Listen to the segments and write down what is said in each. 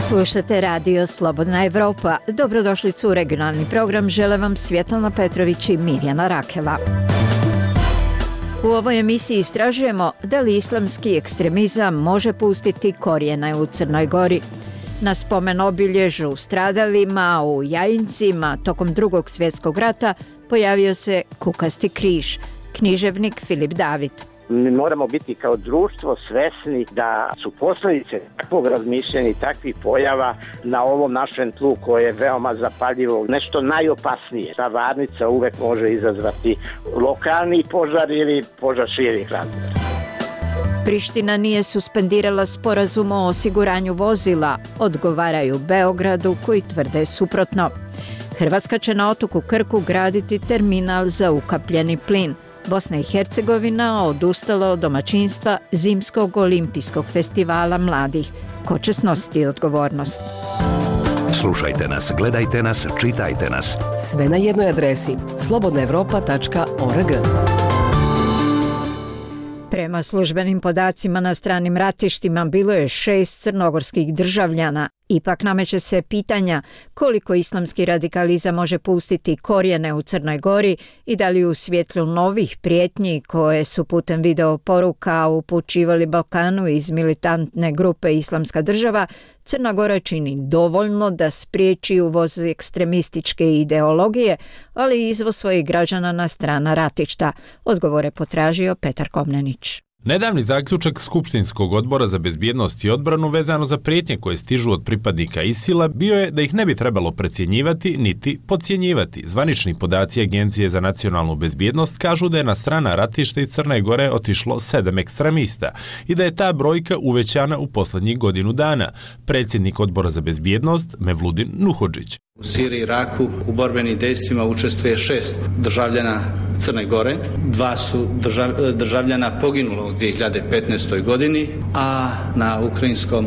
Slušate radio Slobodna Evropa. Dobrodošlicu u regionalni program. Žele vam Svjetlana Petrović i Mirjana Rakela. U ovoj emisiji istražujemo da li islamski ekstremizam može pustiti korijene u Crnoj Gori. Na spomen obilježu stradalima u Jajincima tokom Drugog svjetskog rata pojavio se kukasti križ. Književnik Filip David. Mi moramo biti kao društvo svesni da su posljedice takvog razmišljanja i takvih pojava na ovom našem tlu koje je veoma zapaljivo, nešto najopasnije. Ta varnica uvek može izazvati lokalni požar ili požar širih razmjera. Priština nije suspendirala sporazum o osiguranju vozila, odgovaraju Beogradu koji tvrde suprotno. Hrvatska će na otoku Krku graditi terminal za ukapljeni plin. Bosna i Hercegovina odustala od domaćinstva Zimskog olimpijskog festivala mladih. Ko će snositi odgovornost? Slušajte nas, gledajte nas, čitajte nas. Sve na jednoj adresi slobodnaevropa.org. Prema službenim podacima na stranim ratištima bilo je 6 crnogorskih državljana. Ipak nameće se pitanja koliko islamski radikalizam može pustiti korijene u Crnoj Gori i da li u svjetlu novih prijetnji koje su putem video poruka upućivali Balkanu iz militantne grupe Islamska država, Crna Gora čini dovoljno da spriječi uvoz ekstremističke ideologije, ali i izvoz svojih građana na strana ratišta. Odgovore potražio Petar Komnenić. Nedavni zaključak Skupštinskog odbora za bezbjednost i odbranu vezano za prijetnje koje stižu od pripadnika ISIL-a bio je da ih ne bi trebalo precjenjivati niti podcjenjivati. Zvanični podaci Agencije za nacionalnu bezbjednost kažu da je na strana ratišta i Crne Gore otišlo 7 ekstremista i da je ta brojka uvećana u posljednjih godinu dana. Predsjednik odbora za bezbjednost Mevludin Nuhodžić. U Siriji i Iraku u borbenim dejstvima učestvuje 6 državljana Crne Gore. 2 su državljana poginulo u 2015. godini, a na ukrajinskom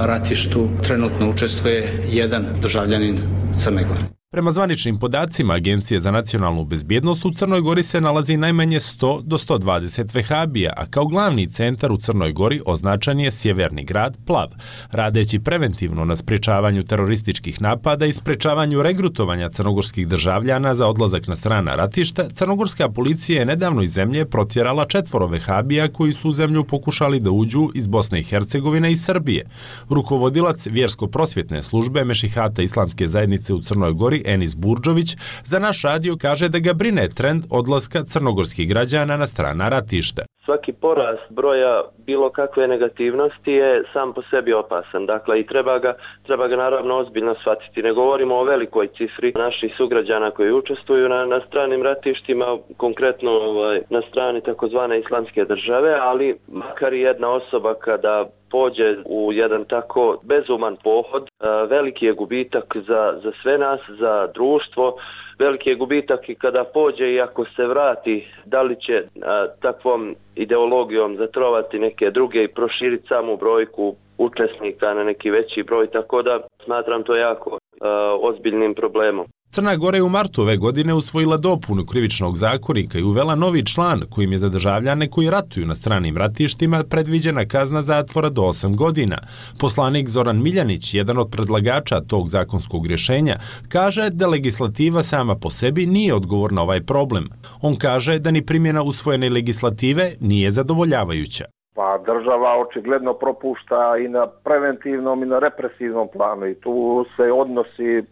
ratištu trenutno učestvuje 1 državljanin Crne Gore. Prema zvaničnim podacima Agencije za nacionalnu bezbjednost u Crnoj Gori se nalazi najmanje 100 do 120 vehabija, a kao glavni centar u Crnoj Gori označen je sjeverni grad Plav. Radeći preventivno na sprječavanju terorističkih napada i sprječavanju regrutovanja crnogorskih državljana za odlazak na strana ratišta, crnogorska policija je nedavno iz zemlje protjerala 4 vehabija koji su u zemlju pokušali da uđu iz Bosne i Hercegovine i Srbije. Rukovodilac vjersko-prosvjetne službe Mešihata Islamske zajednice u Crnoj Gori Enis Burdžović za naš radio kaže da ga brine trend odlaska crnogorskih građana na strana ratišta. Svaki porast broja bilo kakve negativnosti je sam po sebi opasan. Dakle, i treba ga naravno ozbiljno shvatiti. Ne govorimo o velikoj cifri naših sugrađana koji učestvuju na stranim ratištima, konkretno na strani takozvane Islamske države, ali makar i jedna osoba kada pođe u jedan tako bezuman pohod, veliki je gubitak za sve nas, za društvo, veliki je gubitak i kada pođe i ako se vrati, da li će takvom ideologijom zatrovati neke druge i proširiti samu brojku učesnika na neki veći broj, tako da smatram to jako ozbiljnim problemom. Crna Gora je u martu ove godine usvojila dopunu krivičnog zakonika i uvela novi član kojim je za državljane koji ratuju na stranim ratištima predviđena kazna zatvora do 8 godina. Poslanik Zoran Miljanić, jedan od predlagača tog zakonskog rješenja, kaže da legislativa sama po sebi nije odgovor na ovaj problem. On kaže da ni primjena usvojene legislative nije zadovoljavajuća. Pa država očigledno propušta i na preventivnom i na represivnom planu i tu se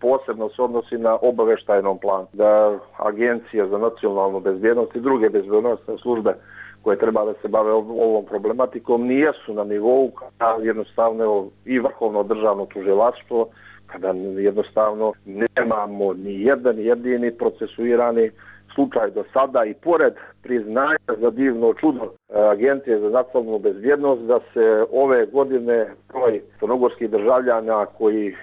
posebno se odnosi na obavještajnom planu. Da Agencija za nacionalnu bezbjednost i druge bezbjednosne službe koje treba da se bave ovom problematikom nijesu na nivou kada jednostavno i vrhovno državno tužilaštvo, kada jednostavno nemamo ni jedan jedini procesuirani slučaj do sada i pored priznanja za divno čudo Agencije za nacionalnu bezbjednost da se ove godine broj crnogorskih državljana koji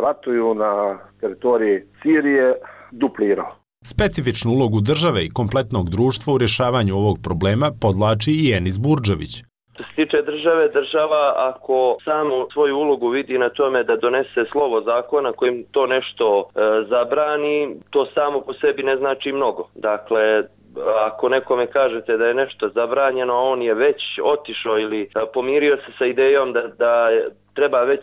ratuju na teritoriji Sirije duplirao. Specifičnu ulogu države i kompletnog društva u rješavanju ovog problema podlači i Enis Burdžović. Što se tiče države, država ako samu svoju ulogu vidi na tome da donese slovo zakona kojim to nešto zabrani, to samo po sebi ne znači mnogo. Dakle, ako nekome kažete da je nešto zabranjeno, a on je već otišao ili pomirio se sa idejom da treba već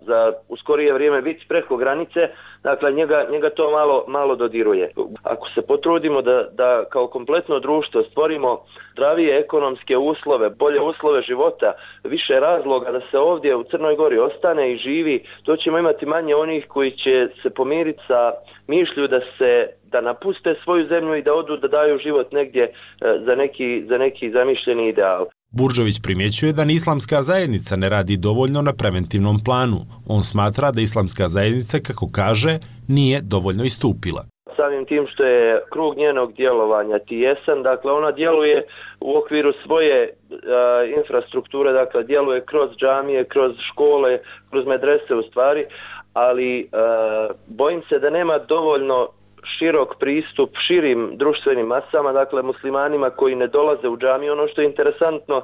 za u skorije vrijeme biti preko granice, dakle njega to malo dodiruje. Ako se potrudimo da kao kompletno društvo stvorimo zdravije ekonomske uslove, bolje uslove života, više razloga da se ovdje u Crnoj Gori ostane i živi, to ćemo imati manje onih koji će se pomiriti sa mišlju da napuste svoju zemlju i da odu da daju život negdje za neki zamišljeni ideal. Burđović primjećuje da ni islamska zajednica ne radi dovoljno na preventivnom planu. On smatra da islamska zajednica, kako kaže, nije dovoljno istupila. Samim tim što je krug njenog djelovanja tijesan, dakle ona djeluje u okviru svoje infrastrukture, dakle djeluje kroz džamije, kroz škole, kroz medrese u stvari, ali bojim se da nema dovoljno širok pristup širim društvenim masama, dakle muslimanima koji ne dolaze u džamiju. Ono što je interesantno,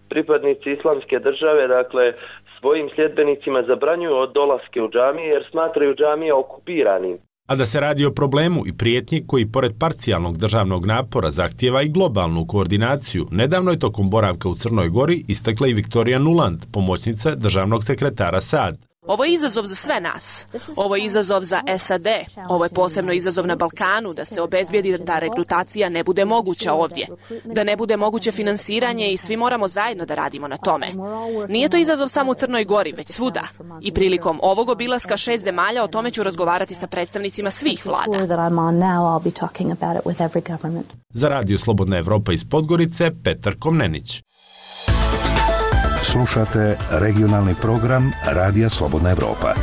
pripadnici islamske države, dakle svojim sljedbenicima zabranjuju od dolaske u džamije jer smatraju džamije okupiranim. A da se radi o problemu i prijetnji koji pored parcijalnog državnog napora zahtijeva i globalnu koordinaciju, nedavno je tokom boravka u Crnoj Gori istakla i Viktorija Nuland, pomoćnica državnog sekretara SAD. Ovo je izazov za sve nas. Ovo je izazov za SAD. Ovo je posebno izazov na Balkanu, da se obezbijedi da rekrutacija ne bude moguća ovdje. Da ne bude moguće finansiranje i svi moramo zajedno da radimo na tome. Nije to izazov samo u Crnoj Gori, već svuda. I prilikom ovog obilaska 6 zemalja o tome ću razgovarati sa predstavnicima svih vlada. Za Radio Slobodna Evropa iz Podgorice, Petar Komnenić. Slušate regionalni program Radija Slobodna Evropa.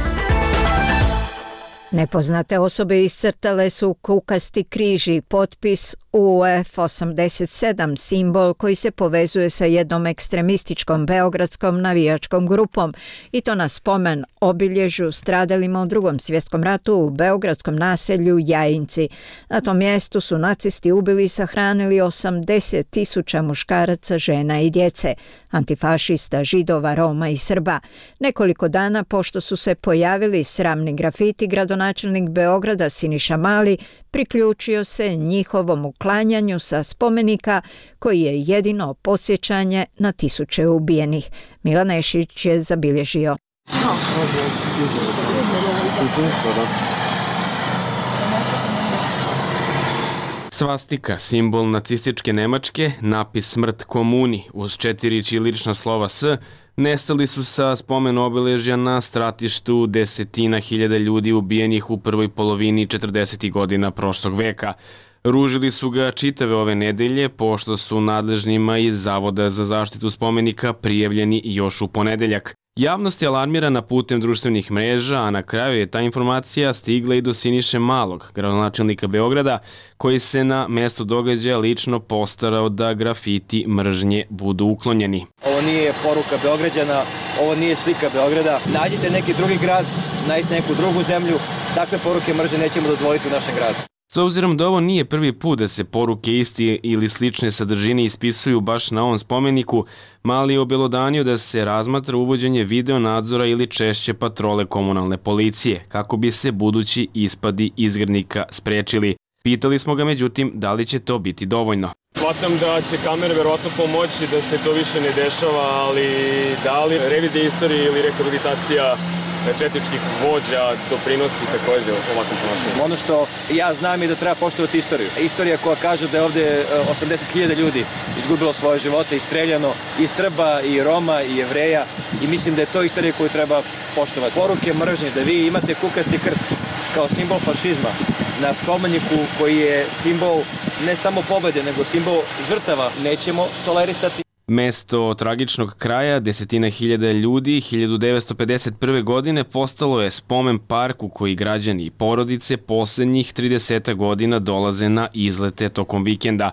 Nepoznate osobe iscrtale su kukasti križ i potpis UF87, simbol koji se povezuje sa jednom ekstremističkom beogradskom navijačkom grupom, i to na spomen obilježju stradalima u Drugom svjetskom ratu u beogradskom naselju Jajinci. Na tom mjestu su nacisti ubili i sahranili 80.000 muškaraca, žena i djece, antifašista, Židova, Roma i Srba. Nekoliko dana pošto su se pojavili sramni grafiti, gradonačelnik Beograda Siniša Mali priključio se njihovom uklanjanju sa spomenika koji je jedino podsjećanje na tisuće ubijenih. Milan Nešić je zabilježio. Svastika, simbol nacističke Nemačke, napis smrt komuni uz 4 ćirilična slova S, nestali su sa spomen obeležja na stratištu desetina hiljada ljudi ubijenih u prvoj polovini 40. godina prošlog veka. Ružili su ga čitave ove nedelje, pošto su nadležnima iz Zavoda za zaštitu spomenika prijavljeni još u ponedeljak. Javnost je alarmirana putem društvenih mreža, a na kraju je ta informacija stigla i do Siniše Malog, gradonačelnika Beograda, koji se na mjestu događaja lično postarao da grafiti mržnje budu uklonjeni. Ovo nije poruka Beograđana, ovo nije slika Beograda. Nađite neki drugi grad, nađite neku drugu zemlju, takve poruke mržnje nećemo dozvoliti u našem gradu. S obzirom da ovo nije prvi put da se poruke isti ili slične sadržine ispisuju baš na ovom spomeniku, Mali je obelodanio da se razmatra uvođenje video nadzora ili češće patrole komunalne policije, kako bi se budući ispadi izgrednika sprečili. Pitali smo ga međutim da li će to biti dovoljno. Shvatam da će kamere verovatno pomoći da se to više ne dešava, ali da li revizija istorije ili rehabilitacija četničkih vođa doprinosi također ovakvom ponašanju? Ono što ja znam je da treba poštovati istoriju. Istorija koja kaže da je ovdje 80.000 ljudi izgubilo svoje živote i streljano, i Srba, i Roma, i Jevreja, i mislim da je to istorija koju treba poštovati. Poruke mržnje, da vi imate kukasti krst kao simbol fašizma na spomeniku koji je simbol ne samo pobjede, nego simbol žrtava, nećemo tolerisati. Mesto tragičnog kraja desetina hiljada ljudi 1951. godine postalo je spomen park u koji građani i porodice posljednjih 30 godina dolaze na izlete tokom vikenda.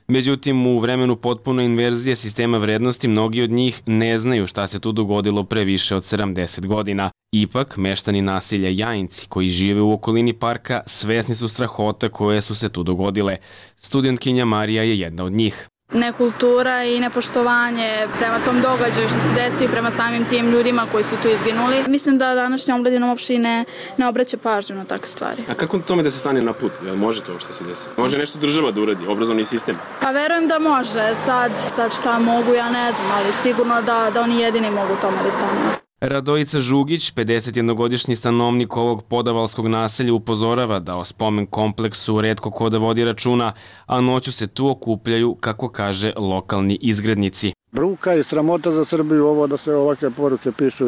Međutim, u vremenu potpune inverzije sistema vrednosti mnogi od njih ne znaju šta se tu dogodilo pre više od 70 godina. Ipak, meštani naselja Jajinci koji žive u okolini parka svesni su strahota koje su se tu dogodile. Studentkinja Marija je jedna od njih. Nekultura i nepoštovanje prema tom događaju što se desi i prema samim tim ljudima koji su tu izginuli. Mislim da današnja omladina uopšte ne obraća pažnju na takve stvari. A kako tome da se stane na put? Jel može to što se desi? Može nešto država da uradi, obrazovni sistem? Pa verujem da može. Sad šta mogu, ja ne znam, ali sigurno da oni jedini mogu tome da stanu. Radojica Žugić, 51-godišnji stanovnik ovog podavalskog naselja, upozorava da o spomen kompleksu retko ko da vodi računa, a noću se tu okupljaju, kako kaže, lokalni izgrednici. Bruka i sramota za Srbiju ovo da se ovakve poruke pišu.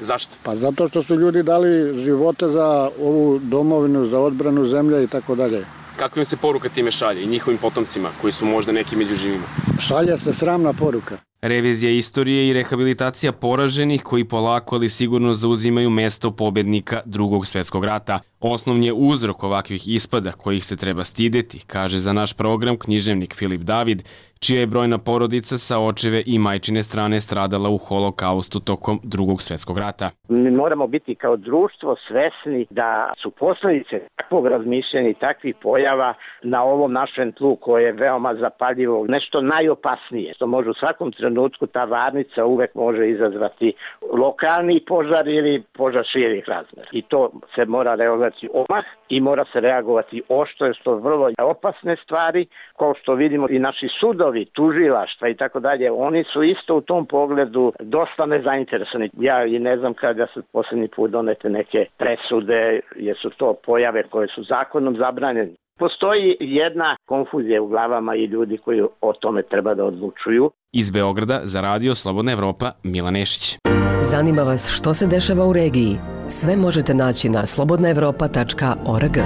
Zašto? Pa zato što su ljudi dali živote za ovu domovinu, za odbranu zemlje i tako dalje. Kakva im se poruka time šalje i njihovim potomcima koji su možda neki među živima? Šalje se sramna poruka. Revizija istorije i rehabilitacija poraženih koji polako ali sigurno zauzimaju mesto pobednika Drugog svjetskog rata. Osnovni je uzrok ovakvih ispada kojih se treba stideti, kaže za naš program književnik Filip David, čija je brojna porodica sa očeve i majčine strane stradala u holokaustu tokom Drugog svjetskog rata. Mi moramo biti kao društvo svesni da su posljedice takvog razmišljanja i takvih pojava na ovom našem tlu koje je veoma zapaljivo, nešto najopasnije, što može u svakom trenutku ta varnica uvek može izazvati lokalni požar ili požar širih razmera. I to se mora reagovati odmah i mora se reagovati oštro, jer su vrlo opasne stvari, kao što vidimo i naši sudovi, tužilaštva i tako dalje, oni su isto u tom pogledu dosta nezainteresovani. Ja i ne znam kada su posljednji put donete neke presude, jer su to pojave koje su zakonom zabranjene. Postoji jedna konfuzija u glavama i ljudi koji o tome treba da odlučuju. Iz Beograda za Radio Slobodna Evropa, Milan Nešić. Zanima vas što se dešava u regiji? Sve možete naći na slobodnaevropa.org.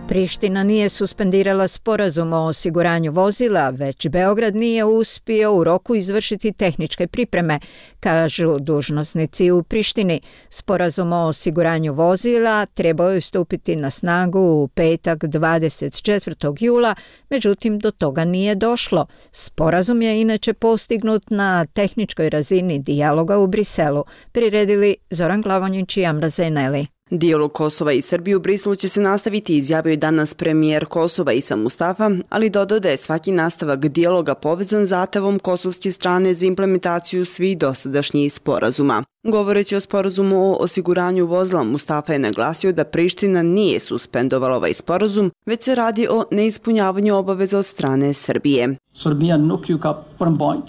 Priština nije suspendirala sporazum o osiguranju vozila, već Beograd nije uspio u roku izvršiti tehničke pripreme, kažu dužnosnici u Prištini. Sporazum o osiguranju vozila trebao je stupiti na snagu u petak 24. jula, međutim do toga nije došlo. Sporazum je inače postignut na tehničkoj razini dijaloga u Briselu, priredili Zoran Glavonjić i Amra Zeneli. Dijalog Kosova i Srbije u Briselu će se nastaviti, izjavio je danas premijer Kosova Isa Mustafa, ali dodao da je svaki nastavak dijaloga povezan zahtevom kosovske strane za implementaciju svih dosadašnjih sporazuma. Govoreći o sporazumu o osiguranju vozila, Mustafa je naglasio da Priština nije suspendovala ovaj sporazum, već se radi o neispunjavanju obaveza od strane Srbije.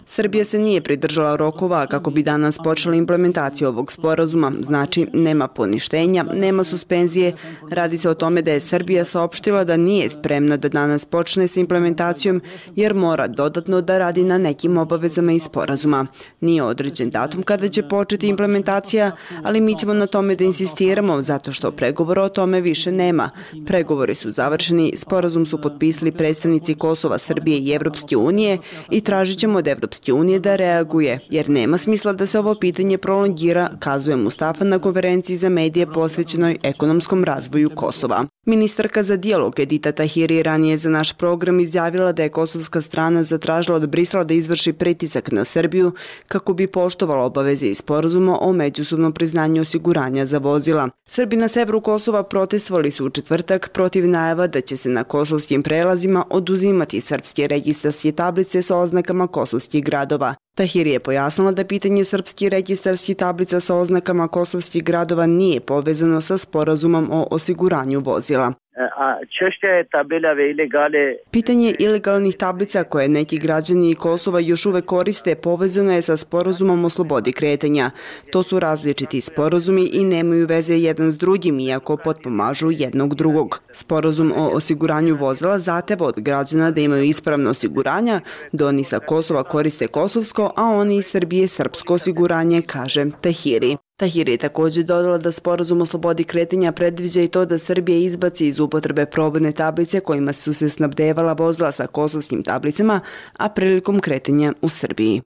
Srbija se nije pridržala rokova kako bi danas počela implementaciju ovog sporazuma, znači nema poništenja, nema suspenzije. Radi se o tome da je Srbija saopštila da nije spremna da danas počne sa implementacijom jer mora dodatno da radi na nekim obavezama iz sporazuma. Nije određen datum kada će početi implementacija, ali mi ćemo na tome da insistiramo zato što pregovora o tome više nema. Pregovori su završeni, sporazum su potpisali predstavnici Kosova, Srbije i Evropske unije i tražit ćemo od Evropske unije da reaguje, jer nema smisla da se ovo pitanje prolongira, kazuje Mustafa na konferenciji za medije posvećenoj ekonomskom razvoju Kosova. Ministarka za dijalog Edita Tahiri ranije za naš program izjavila da je kosovska strana zatražila od Brisela da izvrši pritisak na Srbiju kako bi poštovala obaveze iz sporazuma o međusobnom priznanju osiguranja za vozila. Srbi na severu Kosova protestovali su u četvrtak protiv najava da će se na kosovskim prelazima oduzimati srpske registarske tablice sa oznakama kosovskih gradova. Tahiri je pojasnila da pitanje srpskih registarskih tablica sa oznakama kosovskih gradova nije povezano sa sporazumom o osiguranju vozila. Pitanje ilegalnih tablica koje neki građani Kosova još uvek koriste povezano je sa sporazumom o slobodi kretanja. To su različiti sporazumi i nemaju veze jedan s drugim, iako potpomažu jednog drugog. Sporazum o osiguranju vozila zahteva od građana da imaju ispravno osiguranja, da oni sa Kosova koriste kosovsko, a oni iz Srbije srpsko osiguranje, kaže Tahiri. Tahiri je također dodala da sporazum o slobodi kretanja predviđa i to da Srbija izbaci iz upotrebe probne tablice kojima su se snabdevala vozila sa kosovskim tablicama, a prilikom kretanja u Srbiji.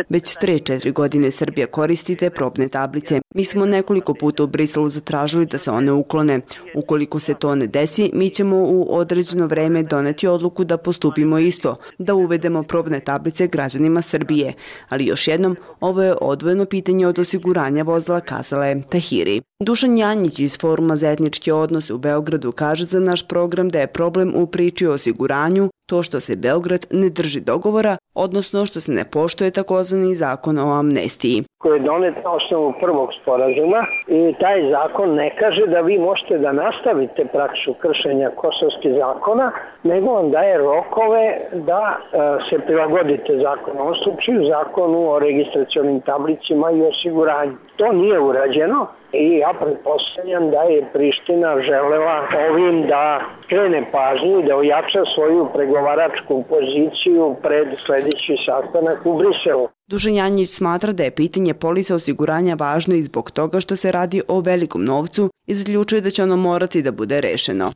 Već 3-4 godine Srbija koristi te probne tablice. Mi smo nekoliko puta u Briselu zatražili da se one uklone. Ukoliko se to ne desi, mi ćemo u određeno vreme doneti odluku da postupimo isto, da uvedemo probne tablice građanima Srbije. Ali još jednom, ovo je odvojeno pitanje od osiguranja vozila, kazala je Tahiri. Dušan Janjić iz Foruma za etničke odnose u Beogradu kaže za naš program da je problem u priči o osiguranju to što se Beograd ne drži dogovora, odnosno što se ne poštuje takozvani zakon o amnestiji. Koji je donet na osnovu prvog sporazuma i taj zakon ne kaže da vi možete da nastavite praksu kršenja kosovskih zakona, nego vam daje rokove da se prilagodite zakonu. U ovom slučaju zakonu o registracionim tablicima i osiguranju. To nije urađeno i ja pretpostavljam da je Priština želela ovim da krene pažnju i da ojača svoju pregovaračku poziciju pred sljedeći sastanak u Briselu. Dušan Janjić smatra da je pitanje polisa osiguranja važno i zbog toga što se radi o velikom novcu i zaključuje da će ono morati da bude rešeno.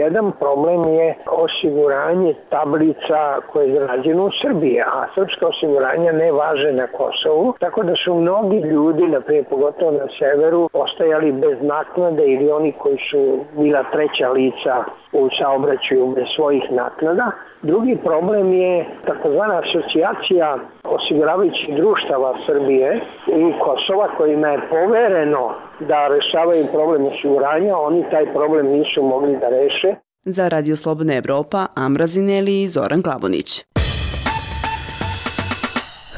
Jedan problem je osiguranje tablica koje je izrađeno u Srbiji, a srpska osiguranja ne važe na Kosovu, tako da su mnogi ljudi, naprimjer pogotovo na severu, ostajali bez naknade ili oni koji su bila treća lica u saobraćaju bez svojih naknada. Drugi problem je takozvana asocijacija osiguravajućih društava Srbije i Kosova kojima je povereno da rešavaju problem osiguranja, oni taj problem nisu mogli da reše. Za Radio Slobodna Evropa, Amra Zineli i Zoran Glavonić.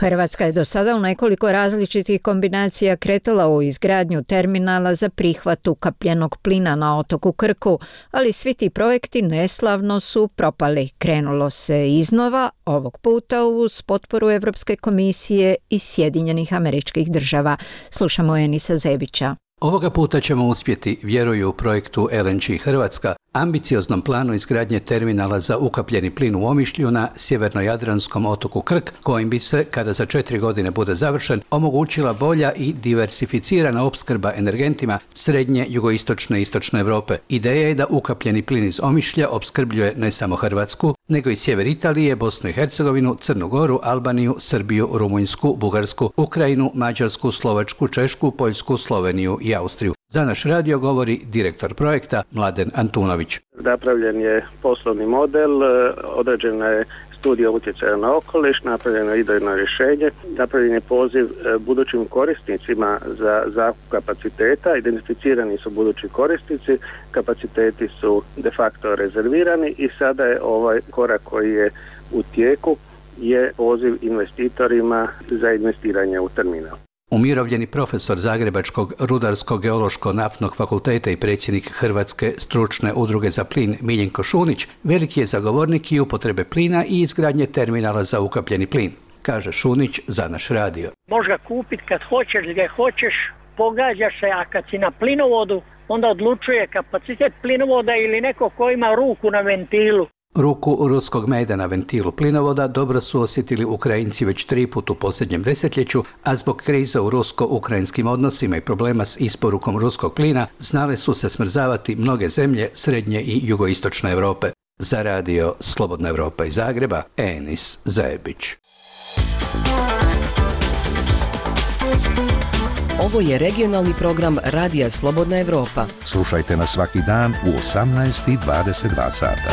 Hrvatska je do sada u nekoliko različitih kombinacija kretala u izgradnju terminala za prihvat ukapljenog plina na otoku Krku, ali svi ti projekti neslavno su propali. Krenulo se iznova, ovog puta uz potporu Evropske komisije i Sjedinjenih Američkih Država. Slušamo Enisa Zebića. Ovoga puta ćemo uspjeti, vjeruju u projektu LNG Hrvatska, ambicioznom planu izgradnje terminala za ukapljeni plin u Omišlju na sjevernojadranskom otoku Krk, kojim bi se, kada za 4 godine bude završen, omogućila bolja i diversificirana opskrba energentima srednje, jugoistočne i istočne Europe. Ideja je da ukapljeni plin iz Omišlja opskrbljuje ne samo Hrvatsku, nego i sjever Italije, Bosnu i Hercegovinu, Crnu Goru, Albaniju, Srbiju, Rumunjsku, Bugarsku, Ukrajinu, Mađarsku, Slovačku, Češku, Poljsku, Sloveniju i Austriju. Za naš radio govori direktor projekta Mladen Antunović. Napravljen je poslovni model, određena je studija utjecaja na okoliš, napravljeno je idejno rješenje, napravljen je poziv budućim korisnicima za zakup kapaciteta, identificirani su budući korisnici, kapaciteti su de facto rezervirani i sada je ovaj korak koji je u tijeku je poziv investitorima za investiranje u terminal. Umirovljeni profesor Zagrebačkog Rudarsko-geološko-naftnog fakulteta i predsjednik Hrvatske stručne udruge za plin Miljenko Šunić veliki je zagovornik i upotrebe plina i izgradnje terminala za ukapljeni plin, kaže Šunić za naš radio. Možeš ga kupiti kad hoćeš, gdje hoćeš, pogađaš se, a kad si na plinovodu, onda odlučuje kapacitet plinovoda ili neko ko ima ruku na ventilu. Ruku ruskog meda na ventilu plinovoda dobro su osjetili Ukrajinci već 3 puta u posljednjem desetljeću, a zbog kriza u rusko-ukrajinskim odnosima i problema s isporukom ruskog plina znale su se smrzavati mnoge zemlje srednje i jugoistočne Europe. Za radio Slobodna Evropa iz Zagreba, Enis Zajebić. Ovo je regionalni program Radija Slobodna Evropa. Slušajte nas svaki dan u 18:22 sata.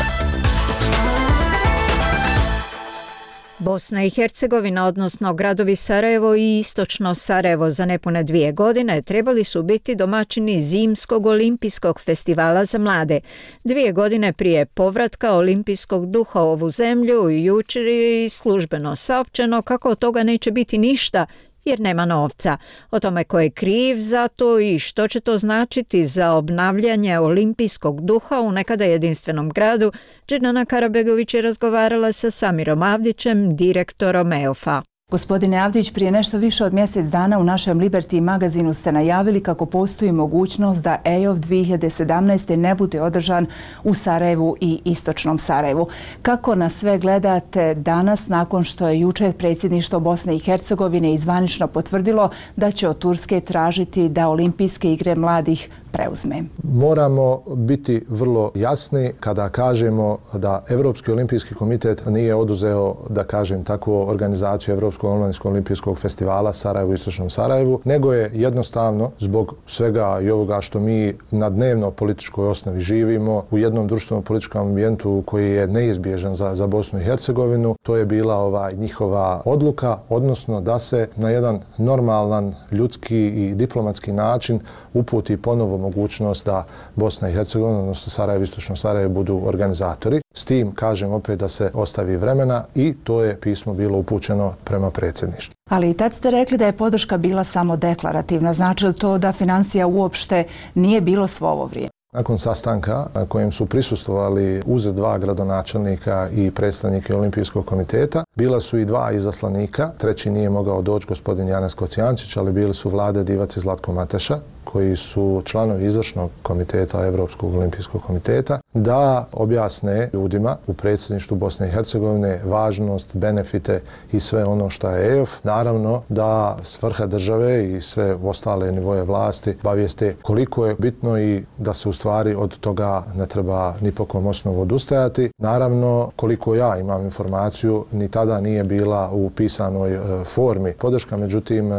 Bosna i Hercegovina, odnosno gradovi Sarajevo i istočno Sarajevo za nepune 2 godine trebali su biti domaćini Zimskog olimpijskog festivala za mlade. 2 godine prije povratka olimpijskog duha u ovu zemlju, jučer je službeno saopćeno kako od toga neće biti ništa, jer nema novca. O tome ko je kriv za to i što će to značiti za obnavljanje olimpijskog duha u nekada jedinstvenom gradu, Džinana Karabegović je razgovarala sa Samirom Avdićem, direktorom EOF-a. Gospodine Avdić, prije nešto više od mjesec dana u našem Liberty magazinu ste najavili kako postoji mogućnost da EOF 2017. ne bude održan u Sarajevu i istočnom Sarajevu. Kako na sve gledate danas nakon što je jučer predsjedništvo Bosne i Hercegovine zvanično potvrdilo da će od Turske tražiti da olimpijske igre mladih preuzme. Moramo biti vrlo jasni kada kažemo da Evropski olimpijski komitet nije oduzeo, da kažem tako, organizaciju Evropskog omladinskog olimpijskog festivala Sarajevo, Istočnom Sarajevu, nego je jednostavno zbog svega i ovoga što mi na dnevno političkoj osnovi živimo u jednom društvenom političkom ambijentu koji je neizbježan za Bosnu i Hercegovinu, to je bila njihova odluka, odnosno da se na jedan normalan, ljudski i diplomatski način uputi ponovo mogućnost da Bosna i Hercegovina, odnosno Sarajevo, Istočno Sarajevo budu organizatori. S tim, kažem opet, da se ostavi vremena i to je pismo bilo upućeno prema predsjedništvu. Ali i tad ste rekli da je podrška bila samo deklarativna. Znači li to da financija uopšte nije bilo svo ovo vrijeme? Nakon sastanka na kojem su prisustvovali uz 2 gradonačelnika i predstavnike Olimpijskog komiteta, bila su i 2 izaslanika, treći nije mogao doći, gospodin Janez Kocijančić, ali bili su Vlade Divac i Zlatko Mateša, koji su članovi izvršnog komiteta Evropskog olimpijskog komiteta, da objasne ljudima u predsjedništvu Bosne i Hercegovine važnost, benefite i sve ono što je EOF. Naravno da svrha države i sve ostale nivoje vlasti obavijeste koliko je bitno i da se u stvari od toga ne treba ni po kom osnovu odustajati. Naravno, koliko ja imam informaciju, ni tada nije bila u pisanoj formi podrška, međutim,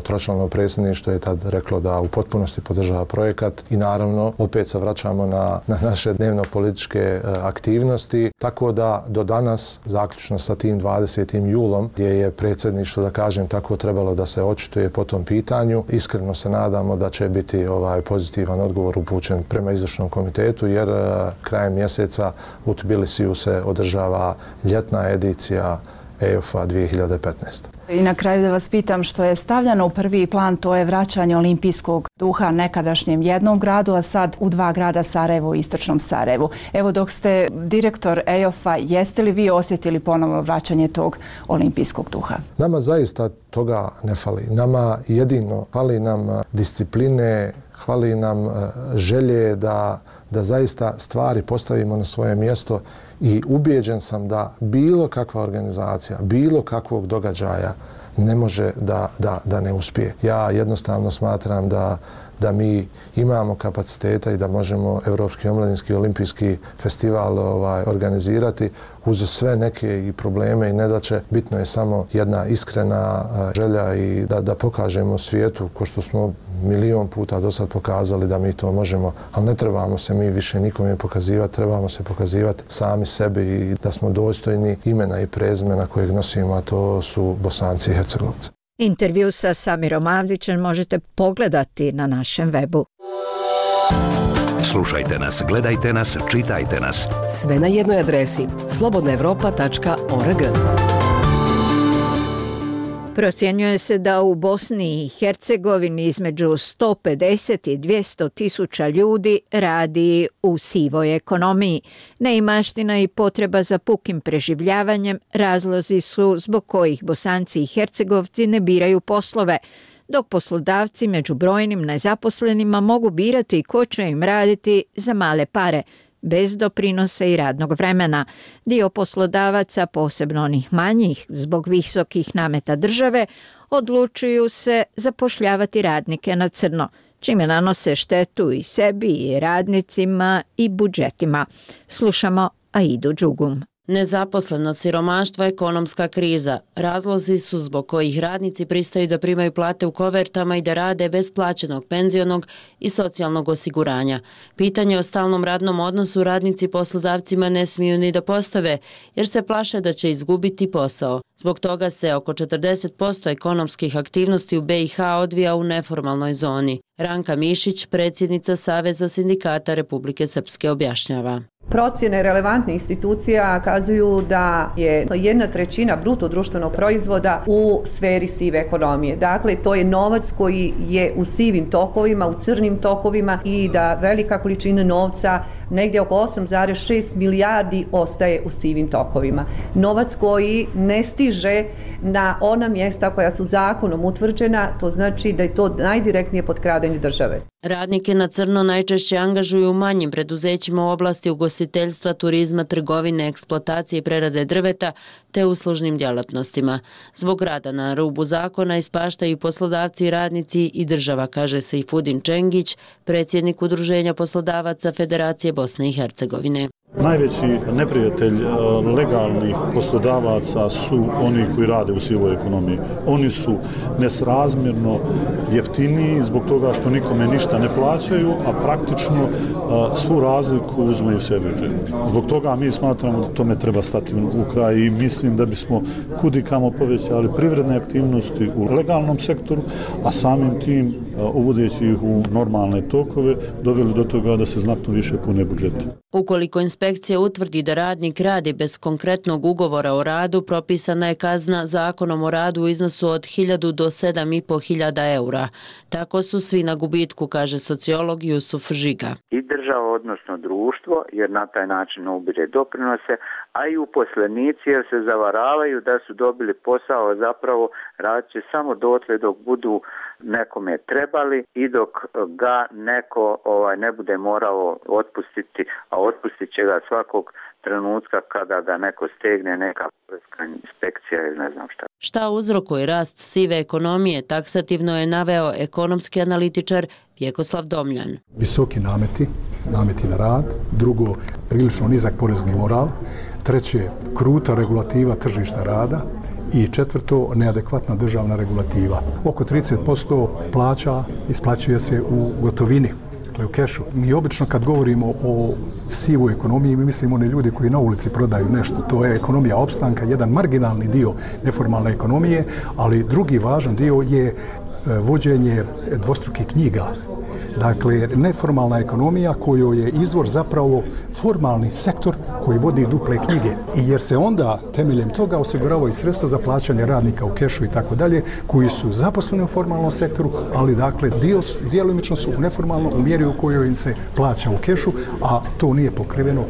tročlano predsjedništvo je tad reklo da u potpunosti podržava projekat i naravno opet se vraćamo na naše dnevno političke aktivnosti, tako da do danas, zaključno sa tim 20. julom, gdje je predsjedništvo, da kažem tako, trebalo da se očituje po tom pitanju, iskreno se nadamo da će biti pozitivan odgovor upućen prema izvršnom komitetu, jer krajem mjeseca u Tbilisiju se održava ljetna edicija EOF-a 2015. I na kraju da vas pitam, što je stavljeno u prvi plan, to je vraćanje olimpijskog duha nekadašnjem jednom gradu, a sad u 2 grada, Sarajevo i Istočnom Sarajevu. Evo, dok ste direktor EOF-a, jeste li vi osjetili ponovno vraćanje tog olimpijskog duha? Nama zaista toga ne fali. Nama jedino fali nam discipline, fali nam želje da zaista stvari postavimo na svoje mjesto i ubijeđen sam da bilo kakva organizacija, bilo kakvog događaja ne može da ne uspije. Ja jednostavno smatram da mi imamo kapaciteta i da možemo Evropski omladinski olimpijski festival organizirati uz sve neke i probleme i nedaće. Bitno je samo jedna iskrena želja i da pokažemo svijetu, ko što smo milion puta do sad pokazali da mi to možemo, ali ne trebamo se mi više nikome pokazivati, trebamo se pokazivati sami sebi i da smo dostojni imena i prezimena kojeg nosimo, a to su Bosanci i Hercegovci. Intervju sa Samirom Avdićem možete pogledati na našem webu. Slušajte nas, gledajte nas, čitajte nas. Sve na jednoj adresi slobodnaevropa.org. Procjenjuje se da u Bosni i Hercegovini između 150 i 200 tisuća ljudi radi u sivoj ekonomiji. Neimaština i potreba za pukim preživljavanjem razlozi su zbog kojih Bosanci i Hercegovci ne biraju poslove, dok poslodavci među brojnim nezaposlenima mogu birati ko će im raditi za male pare, bez doprinosa i radnog vremena. Dio poslodavaca, posebno onih manjih, zbog visokih nameta države, odlučuju se zapošljavati radnike na crno, čime nanose štetu i sebi i radnicima i budžetima. Slušamo Aidu Džugum. Nezaposlenost, siromaštvo, ekonomska kriza. Razlozi su zbog kojih radnici pristaju da primaju plate u kovertama i da rade bez plaćenog penzionog i socijalnog osiguranja. Pitanje o stalnom radnom odnosu radnici poslodavcima ne smiju ni da postave, jer se plaše da će izgubiti posao. Zbog toga se oko 40% ekonomskih aktivnosti u BiH odvija u neformalnoj zoni. Ranka Mišić, predsjednica Saveza sindikata Republike Srpske, objašnjava. Procjene relevantnih institucija kazuju da je 1/3 bruto društvenog proizvoda u sferi sive ekonomije. Dakle, to je novac koji je u sivim tokovima, u crnim tokovima i da velika količina novca, negdje oko 8,6 milijardi, ostaje u sivim tokovima. Novac koji ne stiže na ona mjesta koja su zakonom utvrđena, to znači da je to najdirektnije potkradanje države. Radnike na crno najčešće angažuju u manjim preduzećima u oblasti ugostiteljstva, turizma, trgovine, eksploatacije i prerade drveta te uslužnim djelatnostima. Zbog rada na rubu zakona ispaštaju poslodavci, radnici i država, kaže Sejfudin Čengić, predsjednik Udruženja poslodavaca Federacije Bosne i Hercegovine. Najveći neprijatelj legalnih poslodavaca su oni koji rade u sivoj ekonomiji. Oni su nesrazmjerno jeftiniji zbog toga što nikome ništa ne plaćaju, a praktično svu razliku uzmeju sebi u džep. Zbog toga mi smatramo da tome treba stati u kraj i mislim da bismo kudikamo povećali privredne aktivnosti u legalnom sektoru, a samim tim uvodeći ih u normalne tokove doveli do toga da se znatno više pune budžeti. Ukoliko inspekcija utvrdi da radnik radi bez konkretnog ugovora o radu, propisana je kazna Zakonom o radu u iznosu od 1000 do 7.500 eura. Tako su svi na gubitku, kaže sociolog Jusuf Žiga. I država, odnosno društvo, jer na taj način ubire doprinose, a i uposlenici jer se zavaravaju da su dobili posao, zapravo radit će samo dotle dok budu nekome trebali i dok ga neko ne bude morao otpustiti, a otpustit će ga svakog trenutka kada ga neko stegne, neka poreska inspekcija ili ne znam šta. Šta uzrokuje rast sive ekonomije, taksativno je naveo ekonomski analitičar Vjekoslav Domljan. Visoki nameti na rad, drugo, prilično nizak porezni moral, treće, kruta regulativa tržišta rada i četvrto, neadekvatna državna regulativa. Oko 30% plaća isplaćuje se u gotovini, u kešu. Mi obično kad govorimo o sivoj ekonomiji, mi mislimo one ljudi koji na ulici prodaju nešto. To je ekonomija opstanka, jedan marginalni dio neformalne ekonomije, ali drugi važan dio je vođenje dvostrukih knjiga. Dakle, neformalna ekonomija kojoj je izvor zapravo formalni sektor koji vodi duple knjige. I jer se onda temeljem toga osiguravaju sredstva za plaćanje radnika u kešu i tako dalje, koji su zaposleni u formalnom sektoru, ali dakle djelomično su u neformalnom u mjeri u kojoj im se plaća u kešu, a to nije pokriveno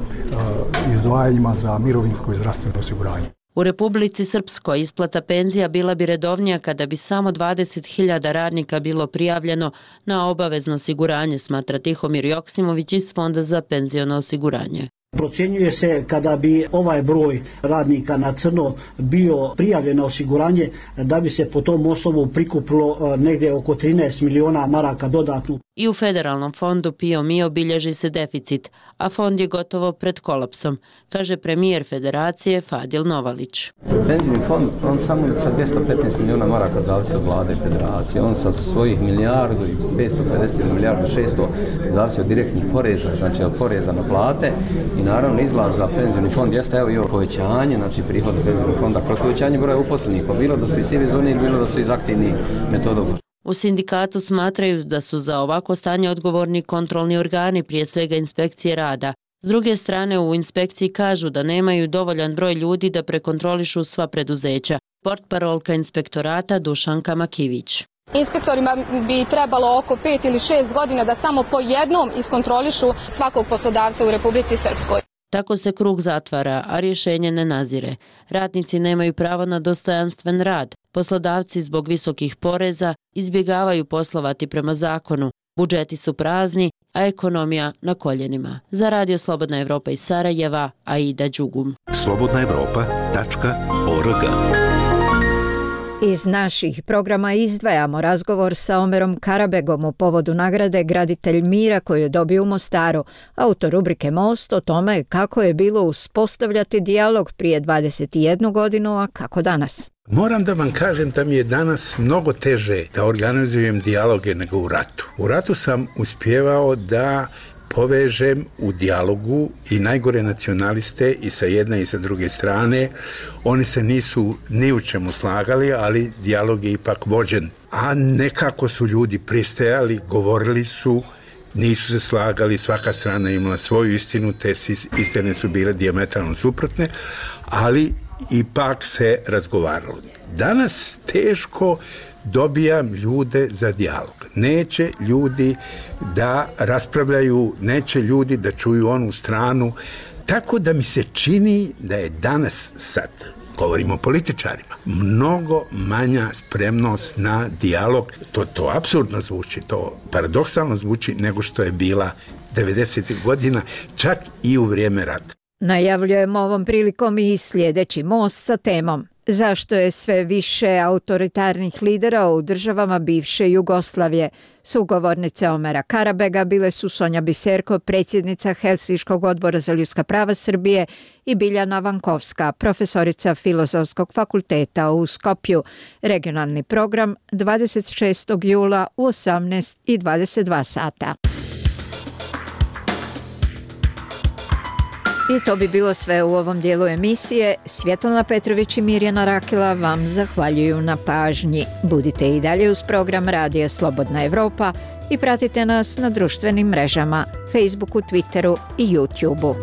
izdvajanjima za mirovinsko i zdravstveno osiguranje. U Republici Srpskoj isplata penzija bila bi redovnija kada bi samo 20.000 radnika bilo prijavljeno na obavezno osiguranje, smatra Tihomir Joksimović iz Fonda za penziono osiguranje. Procjenjuje se kada bi ovaj broj radnika na crno bio prijavljen na osiguranje da bi se po tom osnovu prikupilo negdje oko 13 miliona maraka dodatno. I u Federalnom fondu PIO MIO bilježi se deficit, a fond je gotovo pred kolapsom, kaže premijer Federacije Fadil Novalić. Penzijni fond, on samo sa 215 miliona maraka zavisi od vlade i federacije. On sa svojih milijardu i 550 milijardu 600 zavisi od direktnih poreza, znači od poreza na plate i naravno izlaz za penzijni fond jeste evo i ovo povećanje, znači prihoda penzijnog fonda kroz povećanje broja uposlenih, pa bilo da su iz sive zone, bilo da su iz aktivnih metodom. U sindikatu smatraju da su za ovako stanje odgovorni kontrolni organi, prije svega inspekcije rada. S druge strane, u inspekciji kažu da nemaju dovoljan broj ljudi da prekontrolišu sva preduzeća. Portparolka inspektorata Dušanka Makivić. Inspektorima bi trebalo oko 5 ili 6 godina da samo po jednom iskontrolišu svakog poslodavca u Republici Srpskoj. Tako se krug zatvara, a rješenje ne nazire. Radnici nemaju pravo na dostojanstven rad. Poslodavci zbog visokih poreza izbjegavaju poslovati prema zakonu. Budžeti su prazni, a ekonomija na koljenima. Za Radio Slobodna Evropa iz Sarajeva, Aida Đugum. slobodnaevropa.org. Iz naših programa izdvajamo razgovor sa Omerom Karabegom u povodu nagrade Graditelj mira koju je dobio u Mostaru. Autor rubrike Most o tome kako je bilo uspostavljati dijalog prije 21 godinu, a kako danas. Moram da vam kažem da mi je danas mnogo teže da organizujem dijaloge nego u ratu. U ratu sam uspjevao da povežem u dijalogu i najgore nacionaliste i sa jedne i sa druge strane. Oni se nisu ni u čemu slagali, ali dijalog je ipak vođen. A nekako su ljudi pristajali, govorili su, nisu se slagali, svaka strana imala svoju istinu, te istine su bile dijametralno suprotne, ali ipak se razgovaralo. Danas teško dobijam ljude za dijalog. Neće ljudi da raspravljaju, neće ljudi da čuju onu stranu. Tako da mi se čini da je danas sad Govorimo o političarima. Mnogo manja spremnost na dijalog. To apsurdno zvuči, to paradoksalno zvuči nego što je bila 90. godina, čak i u vrijeme rata. Najavljujemo ovom prilikom i sljedeći most sa temom zašto je sve više autoritarnih lidera u državama bivše Jugoslavije. Sugovornice Omera Karabega bile su Sonja Biserko, predsjednica Helsinškog odbora za ljudska prava Srbije, i Biljana Vankovska, profesorica Filozofskog fakulteta u Skopju. Regionalni program 26. jula u 18:22 sata. I to bi bilo sve u ovom dijelu emisije. Svjetlana Petrović i Mirjana Rakela vam zahvaljuju na pažnji. Budite i dalje uz program Radija Slobodna Evropa i pratite nas na društvenim mrežama, Facebooku, Twitteru i YouTubeu.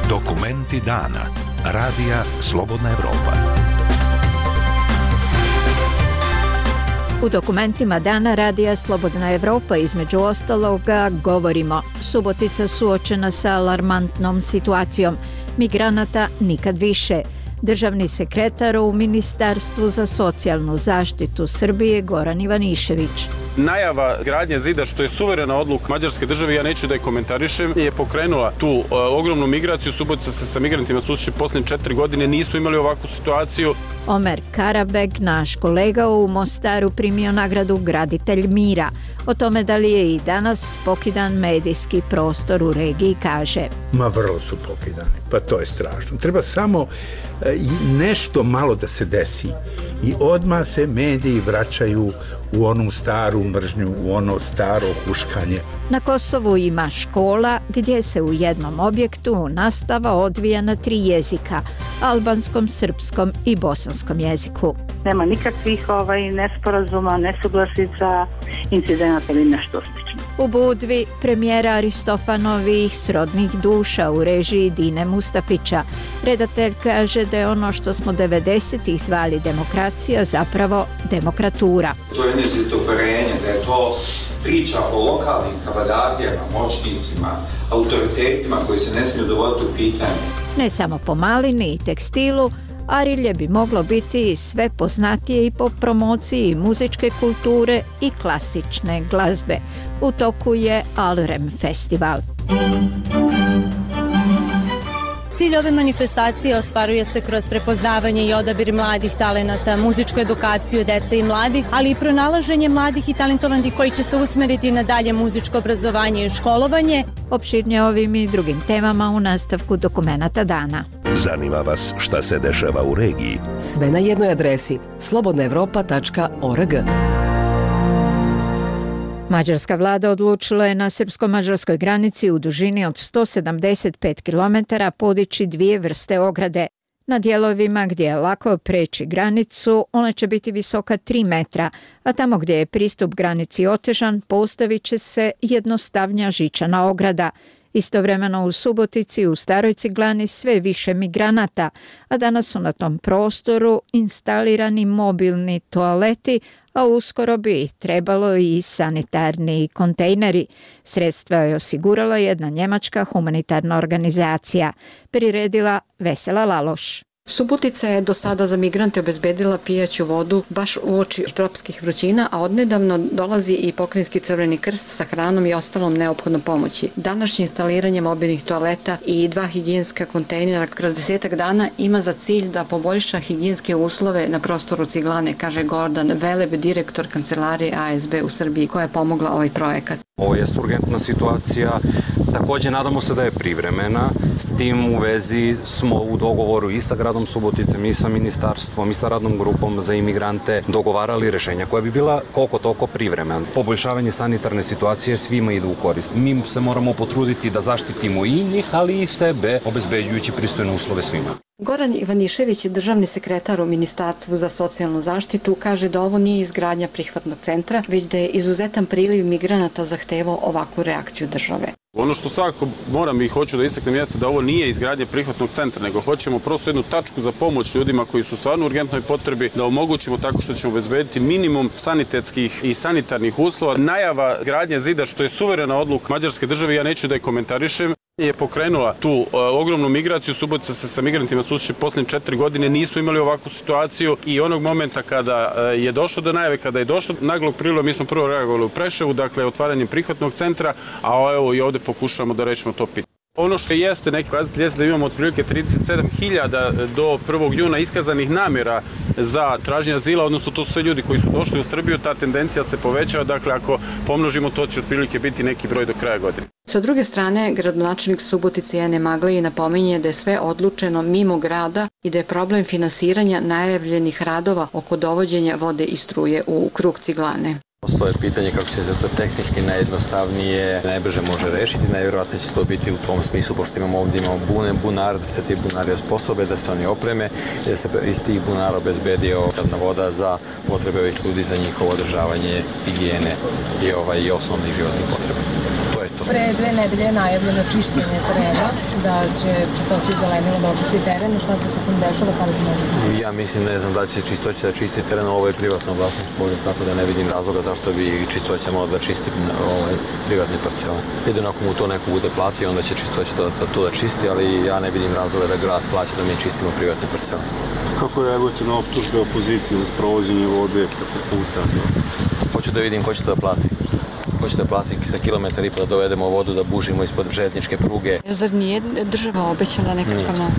Dokumenti dana. Radija Slobodna Evropa. U dokumentima dana Radija Slobodna Evropa između ostaloga govorimo: Subotica suočena sa alarmantnom situacijom, migranata nikad više. Državni sekretar u Ministarstvu za socijalnu zaštitu Srbije Goran Ivanišević. Najava gradnje zida, što je suverena odluka mađarske države, ja neću da je komentarišem, je pokrenula tu ogromnu migraciju. Subotica se sa migrantima susreće posljednje 4 godine, nismo imali ovakvu situaciju. Omer Karabeg, naš kolega u Mostaru, primio nagradu Graditelj mira. O tome da li je i danas pokidan medijski prostor u regiji kaže: Ma vrlo su pokidani, pa to je strašno. Treba samo nešto malo da se desi i odmah se mediji vraćaju u onu staru mržnju, u ono staro huškanje. Na Kosovu ima škola gdje se u jednom objektu nastava odvija na 3 jezika: albanskom, srpskom i bosanskom jeziku. Nema nikakvih nesporazuma, nesuglasica, incidenata ili nešto slično. U Budvi premijera Aristofanovih Srodnih duša u režiji Dine Mustafića. Redatelj kaže da je ono što smo 90-ih zvali demokracija zapravo demokratura. To je njezito uverenje da je to priča o lokalnim kabadardijama, moćnicima, autoritetima koji se ne smiju dovoditi u pitanje. Ne samo po malini i tekstilu, Arilje bi moglo biti sve poznatije i po promociji muzičke kulture i klasične glazbe. U toku je Alrem festival. Cilj ove manifestacije ostvaruje se kroz prepoznavanje i odabir mladih talenata, muzičku edukaciju dece i mladih, ali i pronalaženje mladih i talentovanih koji će se usmeriti na dalje muzičko obrazovanje i školovanje. Opširnije ovim i drugim temama u nastavku dokumenata dana. Zanima vas šta se dešava u regiji? Sve na jednoj adresi: slobodnaevropa.org. Mađarska vlada odlučila je na srpsko-mađarskoj granici u dužini od 175 km podići 2 vrste ograde. Na dijelovima gdje je lako preći granicu, ona će biti visoka 3 metra, a tamo gdje je pristup granici otežan, postavit će se jednostavnija žičana ograda. Istovremeno u Subotici u Staroj Ciglani sve više migranata, a danas su na tom prostoru instalirani mobilni toaleti, a uskoro bi trebalo i sanitarni kontejneri. Sredstva je osigurala jedna njemačka humanitarna organizacija, priredila Vesela Laloš. Subotica je do sada za migrante obezbedila pijaću vodu baš uoči tropskih vrućina, a odnedavno dolazi i Pokrajinski Crveni krst sa hranom i ostalom neophodnom pomoći. Današnje instaliranje mobilnih toaleta i 2 higijenska kontejnera kroz 10 dana ima za cilj da poboljša higijenske uslove na prostoru Ciglane, kaže Gordan Veleb, direktor kancelarije ASB u Srbiji, koja je pomogla ovaj projekat. Ovo je urgentna situacija, također nadamo se da je privremena, s tim u vezi smo u dogovoru i sa gradom Suboticem i sa ministarstvom i sa radnom grupom za imigrante dogovarali rješenja koja bi bila koliko toliko privremena. Poboljšavanje sanitarne situacije svima ide u korist. Mi se moramo potruditi da zaštitimo i njih, ali i sebe, obezbeđujući pristojne uslove svima. Goran Ivanišević, državni sekretar u Ministarstvu za socijalnu zaštitu, kaže da ovo nije izgradnja prihvatnog centra, već da je izuzetan priliv migranata zahtevao ovakvu reakciju države. Ono što svakako moram i hoću da istaknem jeste da ovo nije izgradnje prihvatnog centra, nego hoćemo prosto jednu tačku za pomoć ljudima koji su stvarno u urgentnoj potrebi, da omogućimo tako što ćemo obezbediti minimum sanitetskih i sanitarnih uslova. Najava gradnje zida, što je suverena odluka mađarske države, ja neću da je komentarišem, je pokrenula tu ogromnu migraciju. Subotica se sa migrantima susreće posljednje 4 godine. Nismo imali ovakvu situaciju i onog momenta kada je došlo do najave, kada je došlo naglog priliva, mi smo prvo reagovali u Preševu, dakle otvaranjem prihvatnog centra, a evo i ovde pokušavamo da rešimo to pitanje. Ono što jeste neki pokazatelj jeste da imamo otprilike 37.000 do 1. juna iskazanih namjera za traženje azila, odnosno to su sve ljudi koji su došli u Srbiju, ta tendencija se povećava, dakle ako pomnožimo to će otprilike biti neki broj do kraja godine. Sa druge strane, gradonačelnik Subotice Jane Maglej napominje da je sve odlučeno mimo grada i da je problem finansiranja najavljenih radova oko dovođenja vode i struje u krug Ciglane. Postoje pitanje kako će se to tehnički najjednostavnije, najbrže može rešiti, najvjerojatnije će to biti u tom smislu, pošto imamo bunar, da se ti bunari osposobe, da se oni opreme i da se iz tih bunara obezbedi voda za potrebe ovih ljudi, za njihovo održavanje higijene i osnovnih životnih potreba. To je to. Pre 2 nedelje je najavljeno čišćenje terena, da će čistoći zelenilo da očisti teren. Šta se sa tim dešava, kada se može? Ja mislim, ne znam da će čistoći da čisti teren, ovo je privatno vlasništvo, tako da ne vidim razloga zašto bi čistoća morala da čisti privatni parcela. Jedino ako mu to neko bude platio, onda će čistoća to da čisti, ali ja ne vidim razloga da grad plaća da mi čistimo privatne parcele. Kako reagujete na optužbe opozicije za sprovođenje vode preko puta? Hoću da vidim ko će to da plati. Hoćete da plati sa kilometar i da dovedemo vodu, da bužimo ispod željezničke pruge. Zar nije država obećala nekakav novac?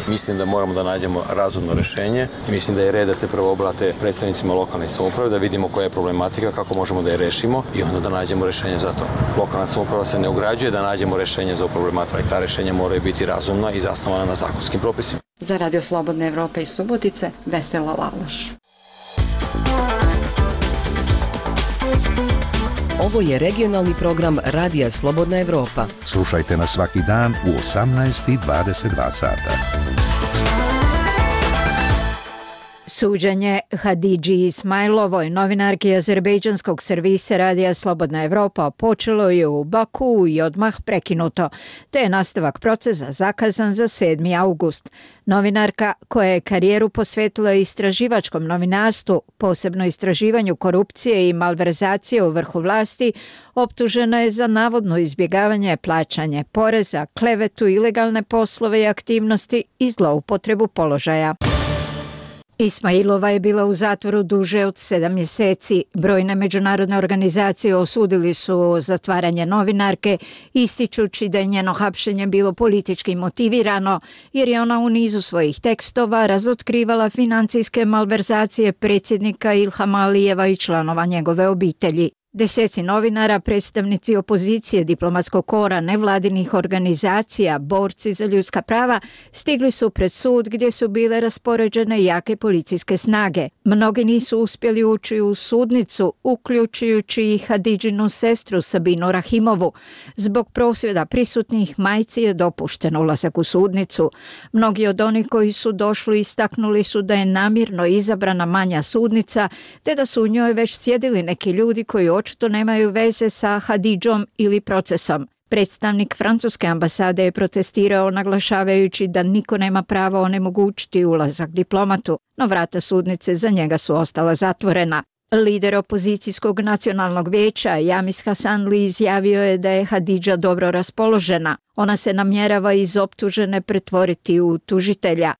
Mislim da moramo da nađemo razumno rešenje i mislim da je red da se prvo obrate predstavnicima lokalne samouprave, da vidimo koja je problematika, kako možemo da je rešimo i onda da nađemo rešenje za to. Lokalna samouprava se ne ugrađuje, da nađemo rešenje za problematiku i ta rešenja moraju biti razumna i zasnovana na zakonskim propisima. Za Radio Slobodne Evrope iz Subotice, Vesela Laloš. Ovo je regionalni program Radija Slobodna Evropa. Slušajte nas svaki dan u 18:22 sata. Suđenje Hadidži Ismailovoj, novinarki azerbejdžanskog servisa Radija Slobodna Evropa, počelo je u Bakuu i odmah prekinuto, te je nastavak procesa zakazan za 7. august. Novinarka, koja je karijeru posvetila istraživačkom novinarstvu, posebno istraživanju korupcije i malverzacije u vrhu vlasti, optužena je za navodno izbjegavanje plaćanja poreza, klevetu, ilegalne poslove i aktivnosti i zloupotrebu položaja. Ismailova je bila u zatvoru duže od 7 mjeseci. Brojne međunarodne organizacije osudili su zatvaranje novinarke, ističući da je njeno hapšenje bilo politički motivirano, jer je ona u nizu svojih tekstova razotkrivala financijske malverzacije predsjednika Ilhama Alijeva i članova njegove obitelji. Deseci novinara, predstavnici opozicije, diplomatskog kora, nevladinih organizacija, borci za ljudska prava stigli su pred sud gdje su bile raspoređene jake policijske snage. Mnogi nisu uspjeli ući u sudnicu, uključujući i Hadidžinu sestru Sabinu Rahimovu. Zbog prosvjeda prisutnih majci je dopušten ulazak u sudnicu. Mnogi od onih koji su došli istaknuli su da je namjerno izabrana manja sudnica, te da su u njoj već sjedili neki ljudi koji očito nemaju veze sa Hadidžom ili procesom. Predstavnik francuske ambasade je protestirao naglašavajući da niko nema pravo onemogućiti ulazak diplomatu, no vrata sudnice za njega su ostala zatvorena. Lider opozicijskog nacionalnog vijeća Jamis Hasanli izjavio je da je Hadidža dobro raspoložena. Ona se namjerava iz optužene pretvoriti u tužitelja.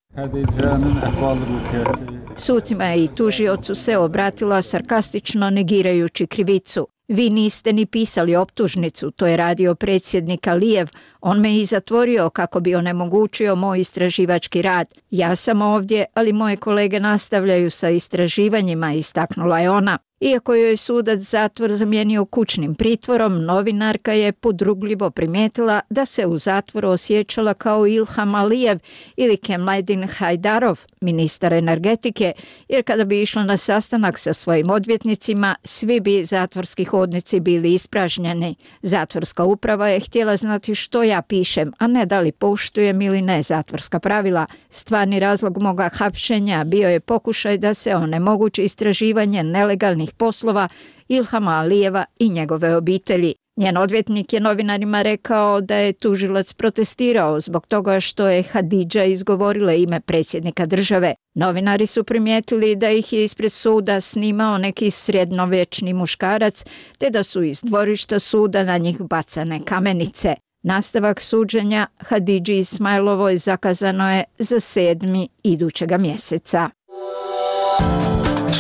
Sucima i tužiocu se obratila sarkastično negirajući krivicu. Vi niste ni pisali optužnicu, to je radio predsjednik Alijev. On me i zatvorio kako bi onemogućio moj istraživački rad. Ja sam ovdje, ali moje kolege nastavljaju sa istraživanjima, istaknula je ona. Iako joj je sudac zatvor zamijenio kućnim pritvorom, novinarka je podrugljivo primijetila da se u zatvoru osjećala kao Ilham Alijev ili Kemledin Hajdarov, ministar energetike, jer kada bi išla na sastanak sa svojim odvjetnicima, svi bi zatvorski hodnici bili ispražnjeni. Zatvorska uprava je htjela znati što ja pišem, a ne da li poštujem ili ne zatvorska pravila. Stvarni razlog moga hapšenja bio je pokušaj da se onemogući istraživanje nelegalnih poslova Ilhama Alijeva i njegove obitelji. Njen odvjetnik je novinarima rekao da je tužilac protestirao zbog toga što je Hadidža izgovorila ime predsjednika države. Novinari su primijetili da ih je ispred suda snimao neki srednjovječni muškarac, te da su iz dvorišta suda na njih bacane kamenice. Nastavak suđenja Hadidži Ismailovoj zakazano je za 7. idućega mjeseca.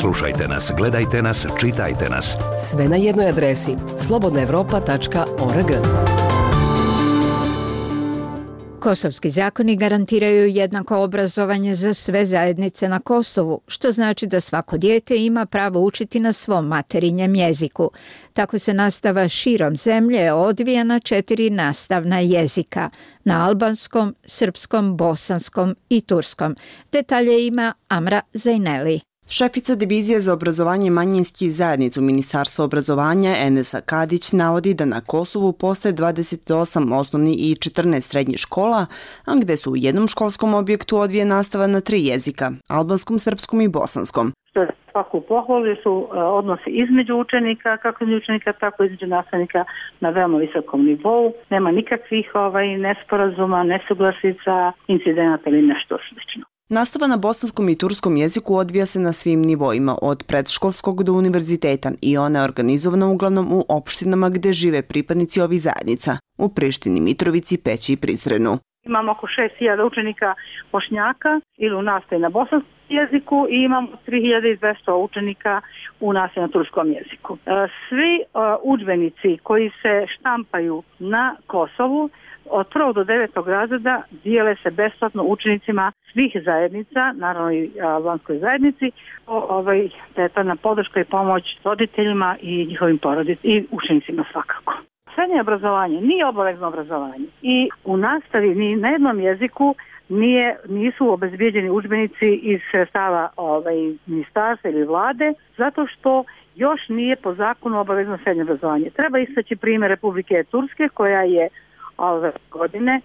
Slušajte nas, gledajte nas, čitajte nas. Sve na jednoj adresi slobodnaevropa.org. Kosovski zakoni garantiraju jednako obrazovanje za sve zajednice na Kosovu, što znači da svako dijete ima pravo učiti na svom materinjem jeziku. Tako se nastava širom zemlje odvija na 4 nastavna jezika, na albanskom, srpskom, bosanskom i turskom. Detalje ima Amra Zajneli. Šefica divizije za obrazovanje manjinskih zajednica u Ministarstvu obrazovanja Enesa Kadić navodi da na Kosovu postoje 28 osnovnih i 14 srednjih škola, a gde su u jednom školskom objektu odvija nastava na 3 jezika, albanskom, srpskom i bosanskom. Što je svaku pohvalu su odnosi između učenika, kako između učenika, tako između nastavnika na veoma visokom nivou. Nema nikakvih nesporazuma, nesuglasica, incidenata ili nešto slično. Nastava na bosanskom i turskom jeziku odvija se na svim nivoima, od predškolskog do univerziteta, i ona je organizovana uglavnom u opštinama gde žive pripadnici ovih zajednica, u Prištini, Mitrovici, Peći i Prizrenu. Imamo oko 6.000 učenika Bošnjaka ili u nastavi na bosanskom jeziku i imamo 3.200 učenika u nastavi na turskom jeziku. Svi udžbenici koji se štampaju na Kosovu od 1. do 9. razreda dijele se besplatno učenicima svih zajednica, naravno i albanskoj zajednici, detaljna podrška i pomoć roditeljima i njihovim porodicama i učenicima svakako. Srednje obrazovanje nije obavezno obrazovanje i u nastavi ni na jednom jeziku nisu obezbijeđeni udžbenici iz sredstava ministarstva ili vlade, zato što još nije po zakonu obavezno srednje obrazovanje. Treba istaći primjer Republike Turske koja je ove godine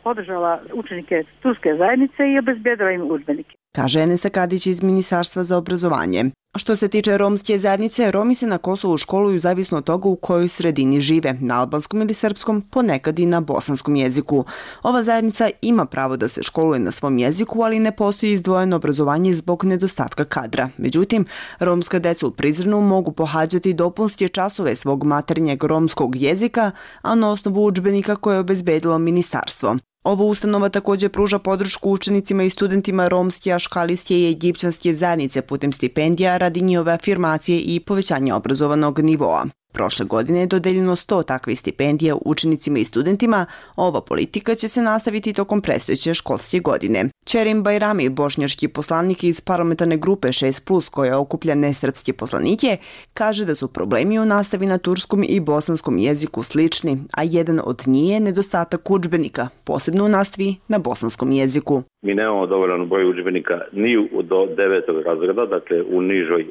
podržala učenike turske zajednice i obezbjedila im udžbenike. Kaže Enesa Kadić iz Ministarstva za obrazovanje. Što se tiče romske zajednice, Romi se na Kosovu školuju zavisno od toga u kojoj sredini žive, na albanskom ili srpskom, ponekad i na bosanskom jeziku. Ova zajednica ima pravo da se školuje na svom jeziku, ali ne postoji izdvojeno obrazovanje zbog nedostatka kadra. Međutim, romska deca u Prizrenu mogu pohađati dopunske časove svog maternjeg romskog jezika, a na osnovu udžbenika koje je obezbedilo ministarstvo. Ova ustanova također pruža podršku učenicima i studentima romske, aškalijske i egipćanske zajednice putem stipendija radi njihove afirmacije i povećanja obrazovanog nivoa. Prošle godine je dodeljeno 100 takvih stipendija učenicima i studentima. Ova politika će se nastaviti tokom predstojeće školske godine. Čerim Bajrami, bošnjački poslanik iz parlamentarne grupe 6+, koja okuplja nesrpske poslanike, kaže da su problemi u nastavi na turskom i bosanskom jeziku slični, a jedan od njih je nedostatak udžbenika, posebno u nastavi na bosanskom jeziku. Mi nemamo dovoljan broj udžbenika ni do 9. razreda, dakle u nižoj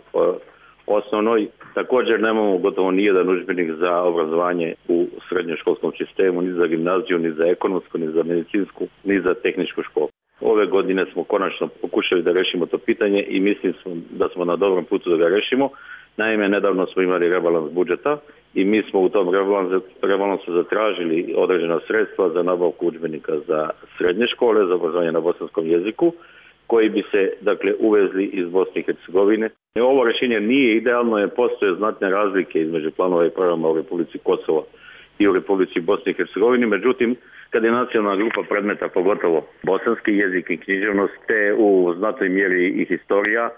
osnovnoj. Također nemamo gotovo nijedan udžbenik za obrazovanje u srednjoškolskom sistemu, ni za gimnaziju, ni za ekonomsku, ni za medicinsku, ni za tehničku školu. Ove godine smo konačno pokušali da rešimo to pitanje i mislim da smo na dobrom putu da ga rešimo. Naime, nedavno smo imali rebalans budžeta i mi smo u tom rebalansu zatražili određena sredstva za nabavku udžbenika za srednje škole, za obrazovanje na bosanskom jeziku, koji bi se uvezli iz Bosne i Hercegovine. Ovo rješenje nije idealno, jer postoje znatne razlike između planova i programa u Republici Kosovo i u Republici Bosne i Hercegovine. Međutim, kad je nacionalna grupa predmeta, pogotovo bosanski jezik i književnost, te u znatnoj mjeri i historija,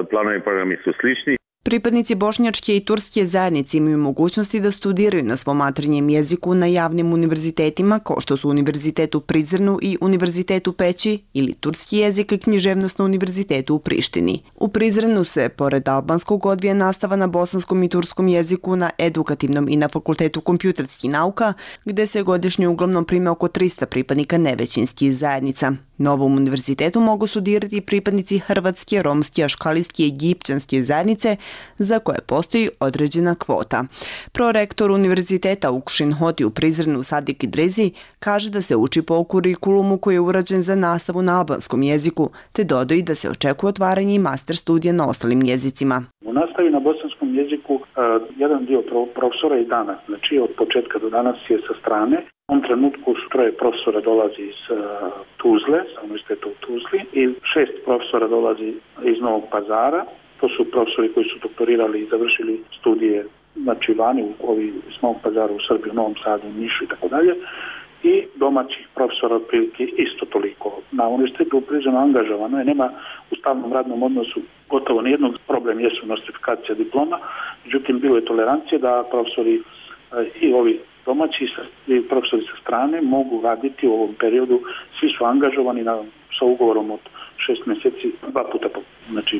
planovi i programi su slični. Pripadnici bošnjačke i turske zajednice imaju mogućnosti da studiraju na svom maternjem jeziku na javnim univerzitetima, kao što su Univerzitet u Prizrenu i Univerzitet u Peći, ili turski jezik i književnost na Univerzitetu u Prištini. U Prizrenu se, pored albanskog, odvija nastava na bosanskom i turskom jeziku na edukativnom i na Fakultetu kompjuterskih nauka, gde se godišnje uglavnom prime oko 300 pripadnika nevećinskih zajednica. Na ovom univerzitetu mogu studirati pripadnici hrvatske, romske, aškalijske i egipćanske zajednice, za koje postoji određena kvota. Prorektor univerziteta Ukšin Hoti u Prizrenu Sadik Idrezi kaže da se uči po kurikulumu koji je urađen za nastavu na albanskom jeziku, te dodaje da se očekuje otvaranje i master studija na ostalim jezicima. U nastavi na bosanskom jeziku Jedan dio profesora i danas, znači od početka do danas je sa strane. U ovom trenutku su 3 profesora dolazi iz Tuzle, sa univerziteta u Tuzli, i 6 profesora dolazi iz Novog Pazara. To su profesori koji su doktorirali i završili studije, znači vani, ovi iz Novog Pazara u Srbiji, u Novom Sadu, u Nišu i tako dalje. I domaćih profesora otprilike isto toliko. Na univerzitetu privremeno angažovano je, nema u stalnom radnom odnosu gotovo nijednog. Problem jesu nostrifikacija diploma, međutim bilo je tolerancije da profesori i ovi domaći i profesori sa strane mogu raditi u ovom periodu. Svi su angažovani sa ugovorom od 6 mjeseci, 2 puta, znači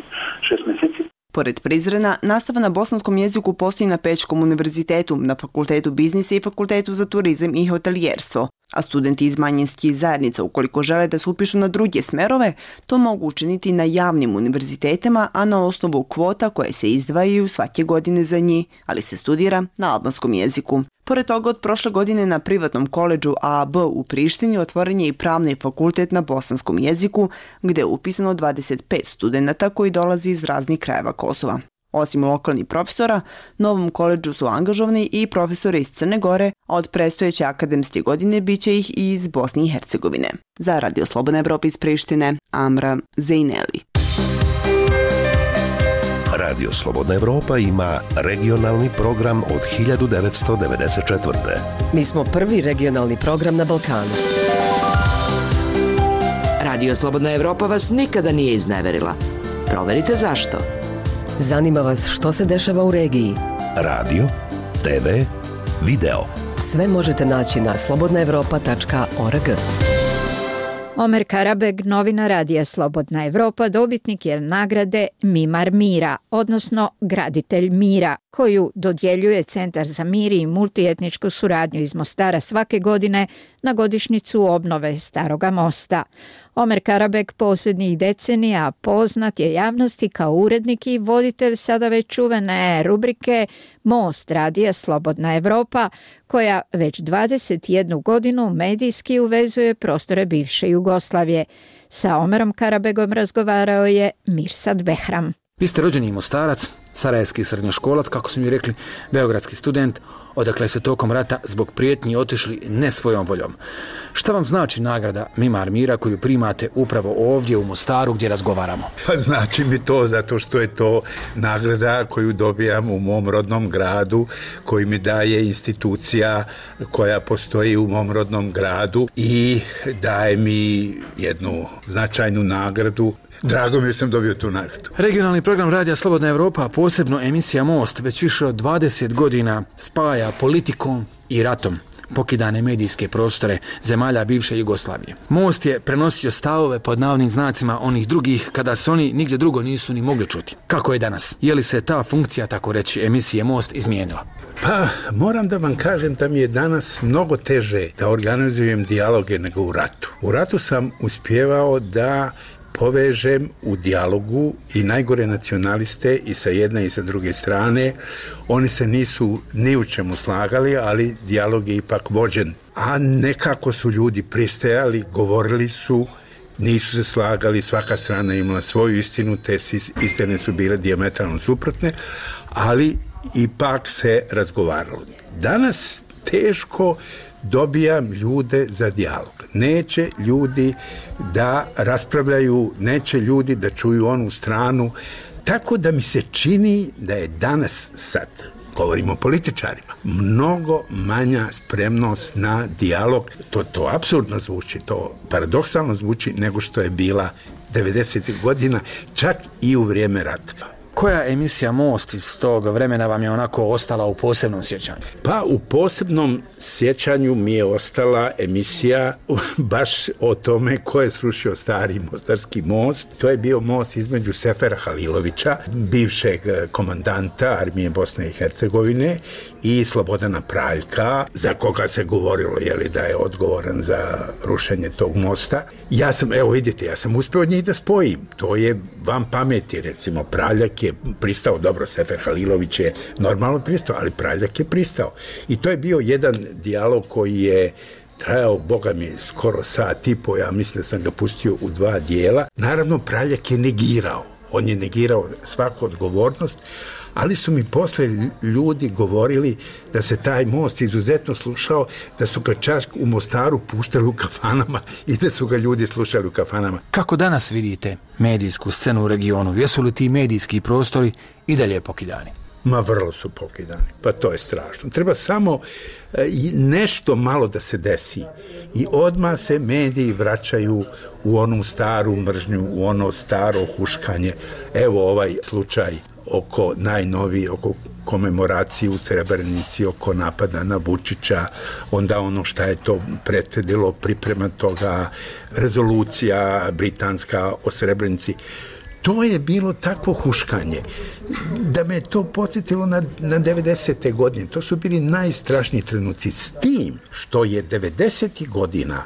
6 mjeseci. Pored Prizrena, nastava na bosanskom jeziku postoji na Pećkom univerzitetu, na Fakultetu biznisa i Fakultetu za turizam i hotelijerstvo. A studenti iz manjinskih zajednica, ukoliko žele da se upišu na druge smerove, to mogu učiniti na javnim univerzitetima, a na osnovu kvota koje se izdvajaju svake godine za njih, ali se studira na albanskom jeziku. Pored toga, od prošle godine na privatnom koledžu AAB u Prištini otvoren je i pravni fakultet na bosanskom jeziku, gde je upisano 25 studenata koji dolazi iz raznih krajeva Kosova. Osim lokalnih profesora, novom koledžu su angažovani i profesori iz Crne Gore, a od predstojeće akademske godine biće ih i iz Bosne i Hercegovine. Za Radio Slobodna Evropa iz Prištine, Amra Zejneli. Radio Slobodna Evropa ima regionalni program od 1994. Mi smo prvi regionalni program na Balkanu. Radio Slobodna Evropa vas nikada nije izneverila. Proverite zašto. Zanima vas što se dešava u regiji. Radio, TV, video. Sve možete naći na slobodnaevropa.org. Omer Karabeg, novina Radija Slobodna Evropa, dobitnik je nagrade Mimar mira, odnosno graditelj mira, koju dodjeljuje Centar za mir i multietničku suradnju iz Mostara svake godine na godišnjicu obnove Staroga mosta. Omer Karabeg posljednjih decenija poznat je javnosti kao urednik i voditelj sada već čuvene rubrike Most Radija Slobodna Evropa, koja već 21 godinu medijski uvezuje prostore bivše Jugoslavije. Sa Omerom Karabegom razgovarao je Mirsad Behram. Vi ste rođeni Mostarac, sarajevski srednjoškolac, kako su mi rekli, beogradski student, odakle se tokom rata zbog prijetnji otišli ne svojom voljom. Šta vam znači nagrada Mimar mira koju primate upravo ovdje u Mostaru gdje razgovaramo? Pa znači mi to zato što je to nagrada koju dobijam u mom rodnom gradu, koju mi daje institucija koja postoji u mom rodnom gradu i daje mi jednu značajnu nagradu. Drago mi je sam dobio tu nagradu. Regionalni program Radija Slobodna Evropa, a posebno emisija Most, već više od 20 godina spaja politikom i ratom pokidane medijske prostore zemalja bivše Jugoslavije. Most je prenosio stavove pod navodnim znacima onih drugih kada se oni nigdje drugo nisu ni mogli čuti. Kako je danas? Je li se ta funkcija, tako reći, emisije Most izmijenila? Pa, moram da vam kažem da mi je danas mnogo teže da organizujem dijaloge nego u ratu. U ratu sam uspjevao da povežem u dijalogu i najgore nacionaliste i sa jedne i sa druge strane. Oni se nisu ni u čemu slagali, ali dijalog je ipak vođen. A nekako su ljudi pristajali, govorili su, nisu se slagali, svaka strana imala svoju istinu, te istine su bile dijametralno suprotne, ali ipak se razgovaralo. Danas teško dobijam ljude za dijalog. Neće ljudi da raspravljaju, neće ljudi da čuju onu stranu. Tako da mi se čini da je danas, sad govorimo o političarima, mnogo manja spremnost na dijalog. To apsurdno zvuči, to paradoksalno zvuči nego što je bila 90. godina, čak i u vrijeme rata. Koja emisija Most iz tog vremena vam je onako ostala u posebnom sjećanju? Pa u posebnom sjećanju mi je ostala emisija baš o tome ko je srušio stari mostarski most. To je bio most između Sefera Halilovića, bivšeg komandanta armije Bosne i Hercegovine, i Slobodana Praljka, za koga se govorilo da je odgovoran za rušenje tog mosta. Ja sam uspio od njih da spojim. To je van pameti, recimo Praljak je pristao, dobro, Sefer Halilović je normalno pristao, ali Praljak je pristao. I to je bio jedan dijalog koji je trajao, boga mi, skoro sat i po, ja mislim da sam ga pustio u 2 dijela. Naravno, Praljak je negirao. On je negirao svaku odgovornost, ali su mi posle ljudi govorili da se taj most izuzetno slušao, da su ga čak u Mostaru puštali u kafanama i da su ga ljudi slušali u kafanama. Kako danas vidite medijsku scenu u regionu? Jesu li ti medijski prostori i dalje pokidani? Ma vrlo su pokidani, pa to je strašno. Treba samo nešto malo da se desi i odmah se mediji vraćaju u onu staru mržnju, u ono staro huškanje. Evo ovaj slučaj oko najnoviji, oko komemoracije u Srebrenici, oko napada na Vučića, onda ono šta je to prethodilo, priprema toga, rezolucija britanska o Srebrenici. To je bilo takvo huškanje da me to podsjetilo na 90. godine. To su bili najstrašniji trenuci. S tim što je 90. godina,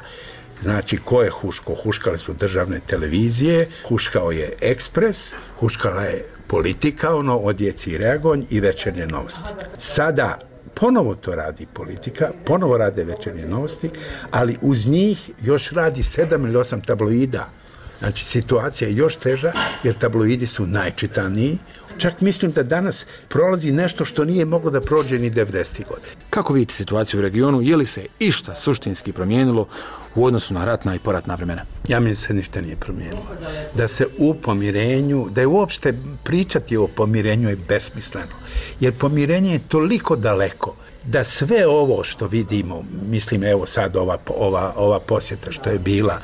znači ko je huško? Huškale su državne televizije, huškao je Ekspres, huškala je Politika, ono Odjeci i Reagonj i Večernje novosti. Sada ponovo to radi Politika, ponovo rade Večernje novosti, ali uz njih još radi 7 ili 8 tabloida. Znači, situacija je još teža, jer tabloidi su najčitaniji. Čak mislim da danas prolazi nešto što nije moglo da prođe ni 90. godine. Kako vidite situaciju u regionu? Je li se išta suštinski promijenilo u odnosu na ratna i poratna vremena? Ja mislim da se ništa nije promijenilo. Da se u pomirenju, da je uopšte pričati o pomirenju je besmisleno. Jer pomirenje je toliko daleko da sve ovo što vidimo, mislim evo sad ova posjeta što je bila,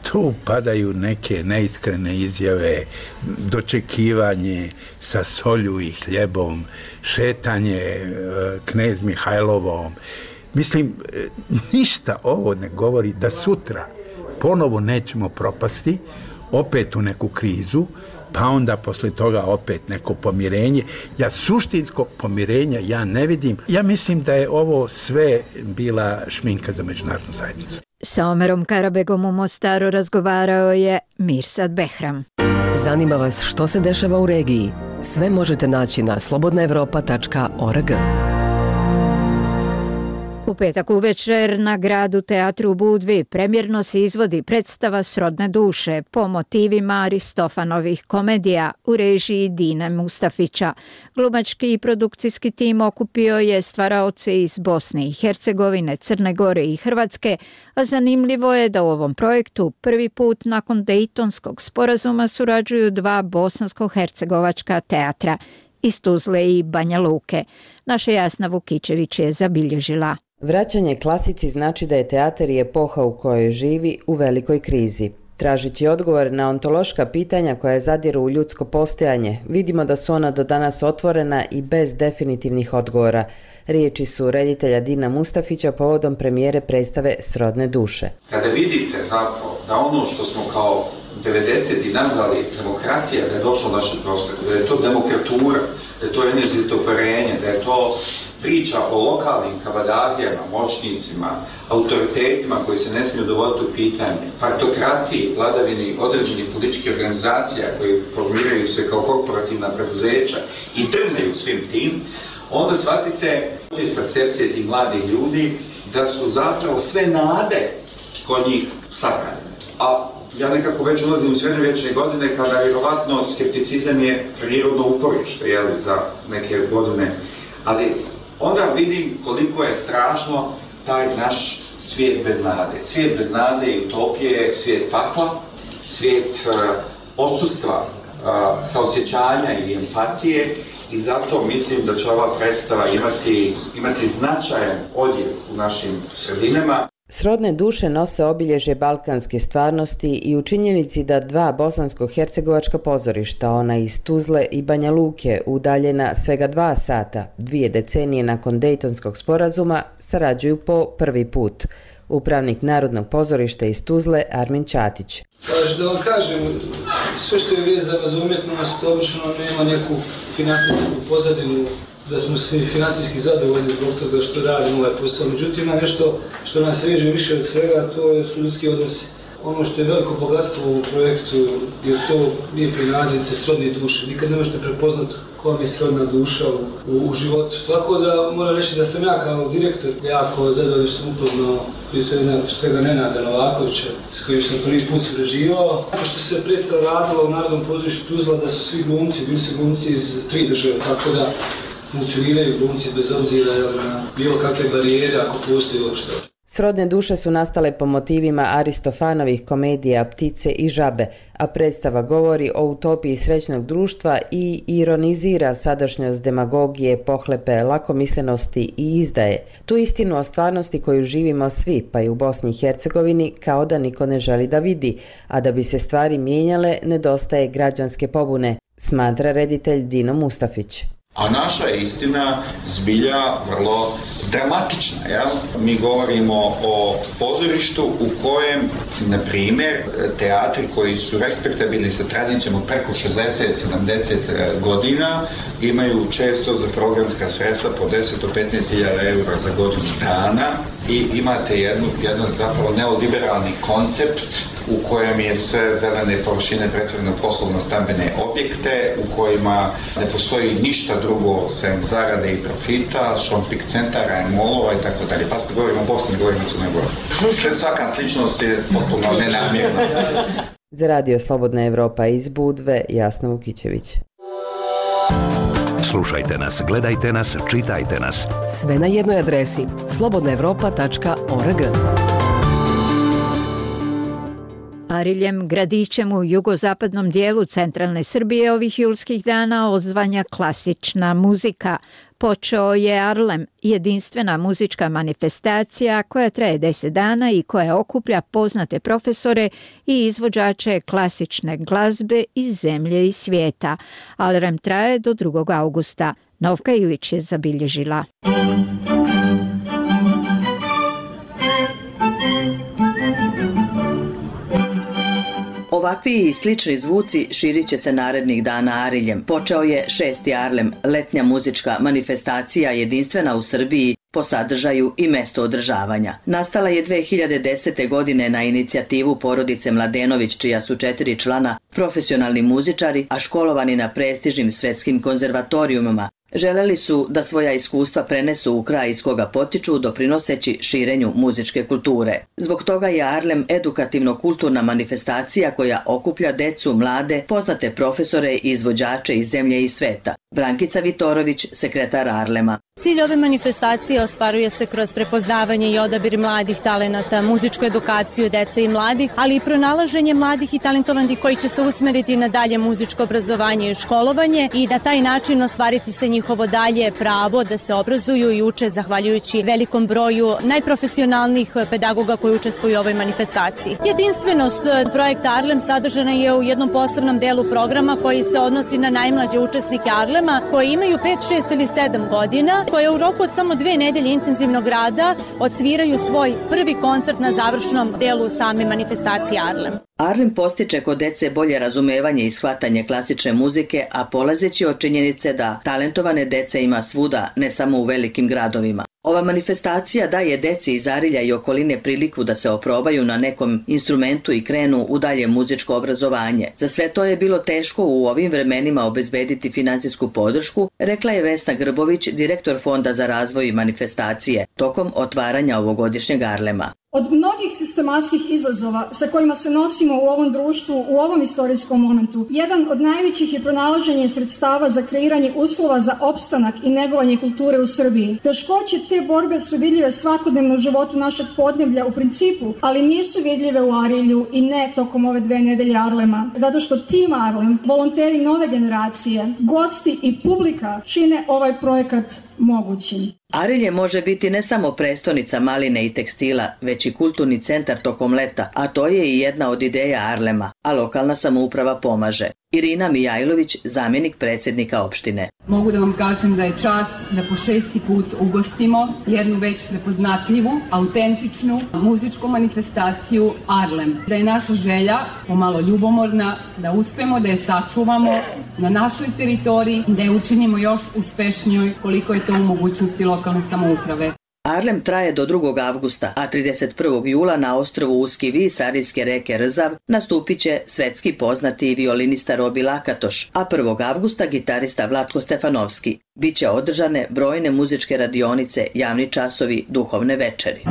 tu padaju neke neiskrene izjave, dočekivanje sa solju i hljebom, šetanje knez Mihajlovom. Mislim, ništa ovo ne govori da sutra ponovo nećemo propasti, opet u neku krizu, pa onda posle toga opet neko pomirenje. Ja suštinskog pomirenja ja ne vidim. Ja mislim da je ovo sve bila šminka za međunarodnu zajednicu. Sa Omerom Karabegom u Mostaru razgovarao je Mirsad Behram. Zanima vas što se dešava u regiji? Sve možete naći na slobodnaevropa.org. U petak uvečer na Gradu teatru u Budvi premjerno se izvodi predstava Srodne duše po motivima Aristofanovih komedija u režiji Dine Mustafića. Glumački i produkcijski tim okupio je stvaraoce iz Bosne i Hercegovine, Crne Gore i Hrvatske, a zanimljivo je da u ovom projektu prvi put nakon Dejtonskog sporazuma surađuju dva bosansko-hercegovačka teatra iz Tuzle i Banja Luke. Naša Jasna Vukičević je zabilježila. Vraćanje klasici znači da je teatar i epoha u kojoj živi u velikoj krizi. Tražeći odgovor na ontološka pitanja koja zadiru u ljudsko postojanje, vidimo da su ona do danas otvorena i bez definitivnih odgovora. Riječi su reditelja Dina Mustafića povodom premijere predstave Srodne duše. Kada vidite zapravo da ono što smo kao 90. nazvali demokratija, da je došlo u naše prostore, da je to demokratura, da je to enerzitoparenje, da je to priča o lokalnim kavadagijama, moćnicima, autoritetima koji se ne smiju dovoditi u pitanje, partokratiji, vladavini određenih političkih organizacija koji formiraju se kao korporativna preduzeća i drmaju svim tim, onda shvatite iz percepcije tih mladih ljudi da su zapravo sve nade kod njih sahranjene. A ja nekako već ulazim u srednjovječne godine kada vjerovatno skepticizam je prirodno uporište za neke godine, ali onda vidim koliko je strašno taj naš svijet bez nade. Svijet bez nade i utopije, svijet pakla, svijet odsustva saosjećanja i empatije i zato mislim da će ova predstava imati značajan odjek u našim sredinama. Srodne duše nose obilježje balkanske stvarnosti i u činjenici da dva bosansko-hercegovačka pozorišta, ona iz Tuzle i Banja Luke, udaljena svega 2 sata, 2 decenije nakon Dejtonskog sporazuma, sarađuju po prvi put. Upravnik Narodnog pozorišta iz Tuzle, Armin Ćatić. Da vam kažem, sve što je vezano za umjetnost obično nema neku finansijsku pozadinu, da smo svi financijski zadovoljni zbog toga što radimo ovaj posao. Međutim, ima nešto što nas reže više od svega, to su ljudski odnosi. Ono što je veliko bogatstvo u projektu je to lijepi naziv te srodne duše. Nikad ne možete prepoznati koja mi je srodna duša u životu. Tako da moram reći da sam ja kao direktor jako zadovoljan što sam upoznao prije svega Nenada Novakovića s kojim sam prvi put surađivao. Što se predstava radila u Narodnom pozorištu Tuzla da su svi glumci, bili su glumci iz 3 države, tako da funkcioniraju glumci bez obzira na bilo kakve barijere ako postoji uopšte. Srodne duše su nastale po motivima Aristofanovih komedija Ptice i žabe, a predstava govori o utopiji srećnog društva i ironizira sadašnjost demagogije, pohlepe, lakomislenosti i izdaje. Tu istinu o stvarnosti koju živimo svi, pa i u Bosni i Hercegovini, kao da niko ne želi da vidi, a da bi se stvari mijenjale, nedostaje građanske pobune, smatra reditelj Dino Mustafić. A naša je istina zbilja vrlo dramatična. Jel? Mi govorimo o pozorištu u kojem, na primjer, teatri koji su respektabilni sa tradicijom od preko 60-70 godina imaju često za programska sredstva po 10 do 15.000 eura za godinu dana i imate jedan zapravo neoliberalni koncept u kojem je sve zelene površine pretvorene u poslovno-stambene objekte, u kojima ne postoji ništa drugo sem zarade i profita, shopping centara, molova i tako dalje. Pa ste govorimo o Bosni, govorimo o Crnoj Gori. Svaka sličnost je potpuno nenamjerna. Za Radio Slobodna Evropa iz Budve, Jasna Vukićević. Slušajte nas, gledajte nas, čitajte nas. Sve na jednoj adresi slobodnaevropa.org. Ariljem, gradićem u jugozapadnom dijelu centralne Srbije, ovih julskih dana odzvanja klasična muzika. Počeo je Arlem, jedinstvena muzička manifestacija koja traje 10 dana i koja okuplja poznate profesore i izvođače klasične glazbe iz zemlje i svijeta. Arlem traje do 2. augusta. Novka Ilić je zabilježila. Ovakvi i slični zvuci širit će se narednih dana Ariljem. Počeo je 6. Arlem, letnja muzička manifestacija jedinstvena u Srbiji po sadržaju i mesto održavanja. Nastala je 2010. godine na inicijativu porodice Mladenović, čija su 4 člana profesionalni muzičari, a školovani na prestižnim svetskim konzervatorijumima. Želeli su da svoja iskustva prenesu u kraj iz koga potiču, doprinoseći širenju muzičke kulture. Zbog toga je Arlem edukativno-kulturna manifestacija koja okuplja decu, mlade, poznate profesore i izvođače iz zemlje i sveta. Brankica Vitorović, sekretar Arlema. Cilj ove manifestacije ostvaruje se kroz prepoznavanje i odabir mladih talenata, muzičku edukaciju dece i mladih, ali i pronalaženje mladih i talentovanih koji će se usmeriti na dalje muzičko obrazovanje i školovanje i na taj način ostvariti se njihovo dalje pravo da se obrazuju i uče zahvaljujući velikom broju najprofesionalnijih pedagoga koji učestvuju u ovoj manifestaciji. Jedinstvenost projekta Arlem sadržana je u jednom posebnom delu programa koji se odnosi na najmlađe učesnike Arlema koji imaju 5, 6 ili 7 godina, koje u roku od samo 2 nedelje intenzivnog rada odsviraju svoj prvi koncert na završnom delu same manifestacije Arlem. Arlem postiče kod dece bolje razumevanje i shvatanje klasične muzike, a polazeći od činjenice da talentovane dece ima svuda, ne samo u velikim gradovima. Ova manifestacija daje deci iz Arilja i okoline priliku da se oprobaju na nekom instrumentu i krenu u dalje muzičko obrazovanje. Za sve to je bilo teško u ovim vremenima obezbediti finansijsku podršku, rekla je Vesna Grbović, direktor Fonda za razvoj manifestacije, tokom otvaranja ovogodišnjeg Arlema. Od mnogih sistematskih izazova sa kojima se nosimo u ovom društvu, u ovom istorijskom momentu, jedan od najvećih je pronalaženje sredstava za kreiranje uslova za opstanak i negovanje kulture u Srbiji. Teškoće te borbe su vidljive svakodnevno u životu našeg podneblja u principu, ali nisu vidljive u Arilju i ne tokom ove 2 nedelje Arlema, zato što tim Arlem, volonteri nove generacije, gosti i publika čine ovaj projekat mogućim. Arilje može biti ne samo prestonica maline i tekstila, već i kulturni centar tokom leta, a to je i jedna od ideja Arlema, a lokalna samouprava pomaže. Irina Mijajlović, zamjenik predsjednika opštine. Mogu da vam kažem da je čast da po 6. put ugostimo jednu već prepoznatljivu, autentičnu muzičku manifestaciju Arlem. Da je naša želja, pomalo ljubomorna, da uspemo da je sačuvamo na našoj teritoriji i da je učinimo još uspešnijoj koliko je to u mogućnosti lokalne samouprave. Arlem traje do 2. avgusta, a 31. jula na ostrvu Uski vis arijske reke Rzav nastupit će svetski poznati violinista Robi Lakatoš, a 1. avgusta gitarista Vlatko Stefanovski. Biće održane brojne muzičke radionice, javni časovi, duhovne večeri.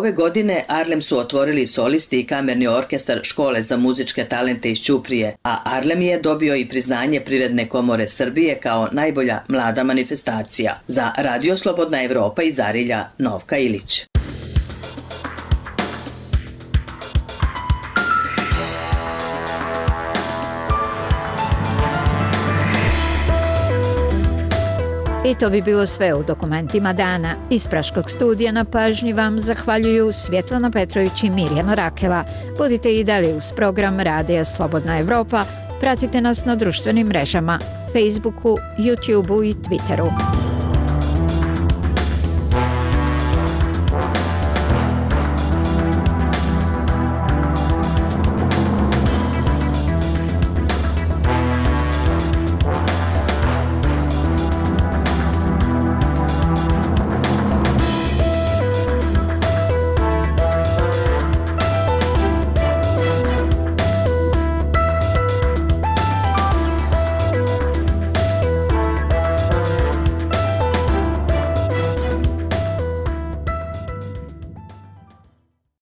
Ove godine Arlem su otvorili solisti i kamerni orkestar Škole za muzičke talente iz Ćuprije, a Arlem je dobio i priznanje Privredne komore Srbije kao najbolja mlada manifestacija. Za Radio Slobodna Evropa iz Arilja, Novka Ilić. I to bi bilo sve u dokumentima dana. Iz Praškog studija na pažnji vam zahvaljuju Svjetlana Petrović i Mirjana Rakela. Budite i dalje uz program Radija Slobodna Evropa. Pratite nas na društvenim mrežama, Facebooku, YouTubeu i Twitteru.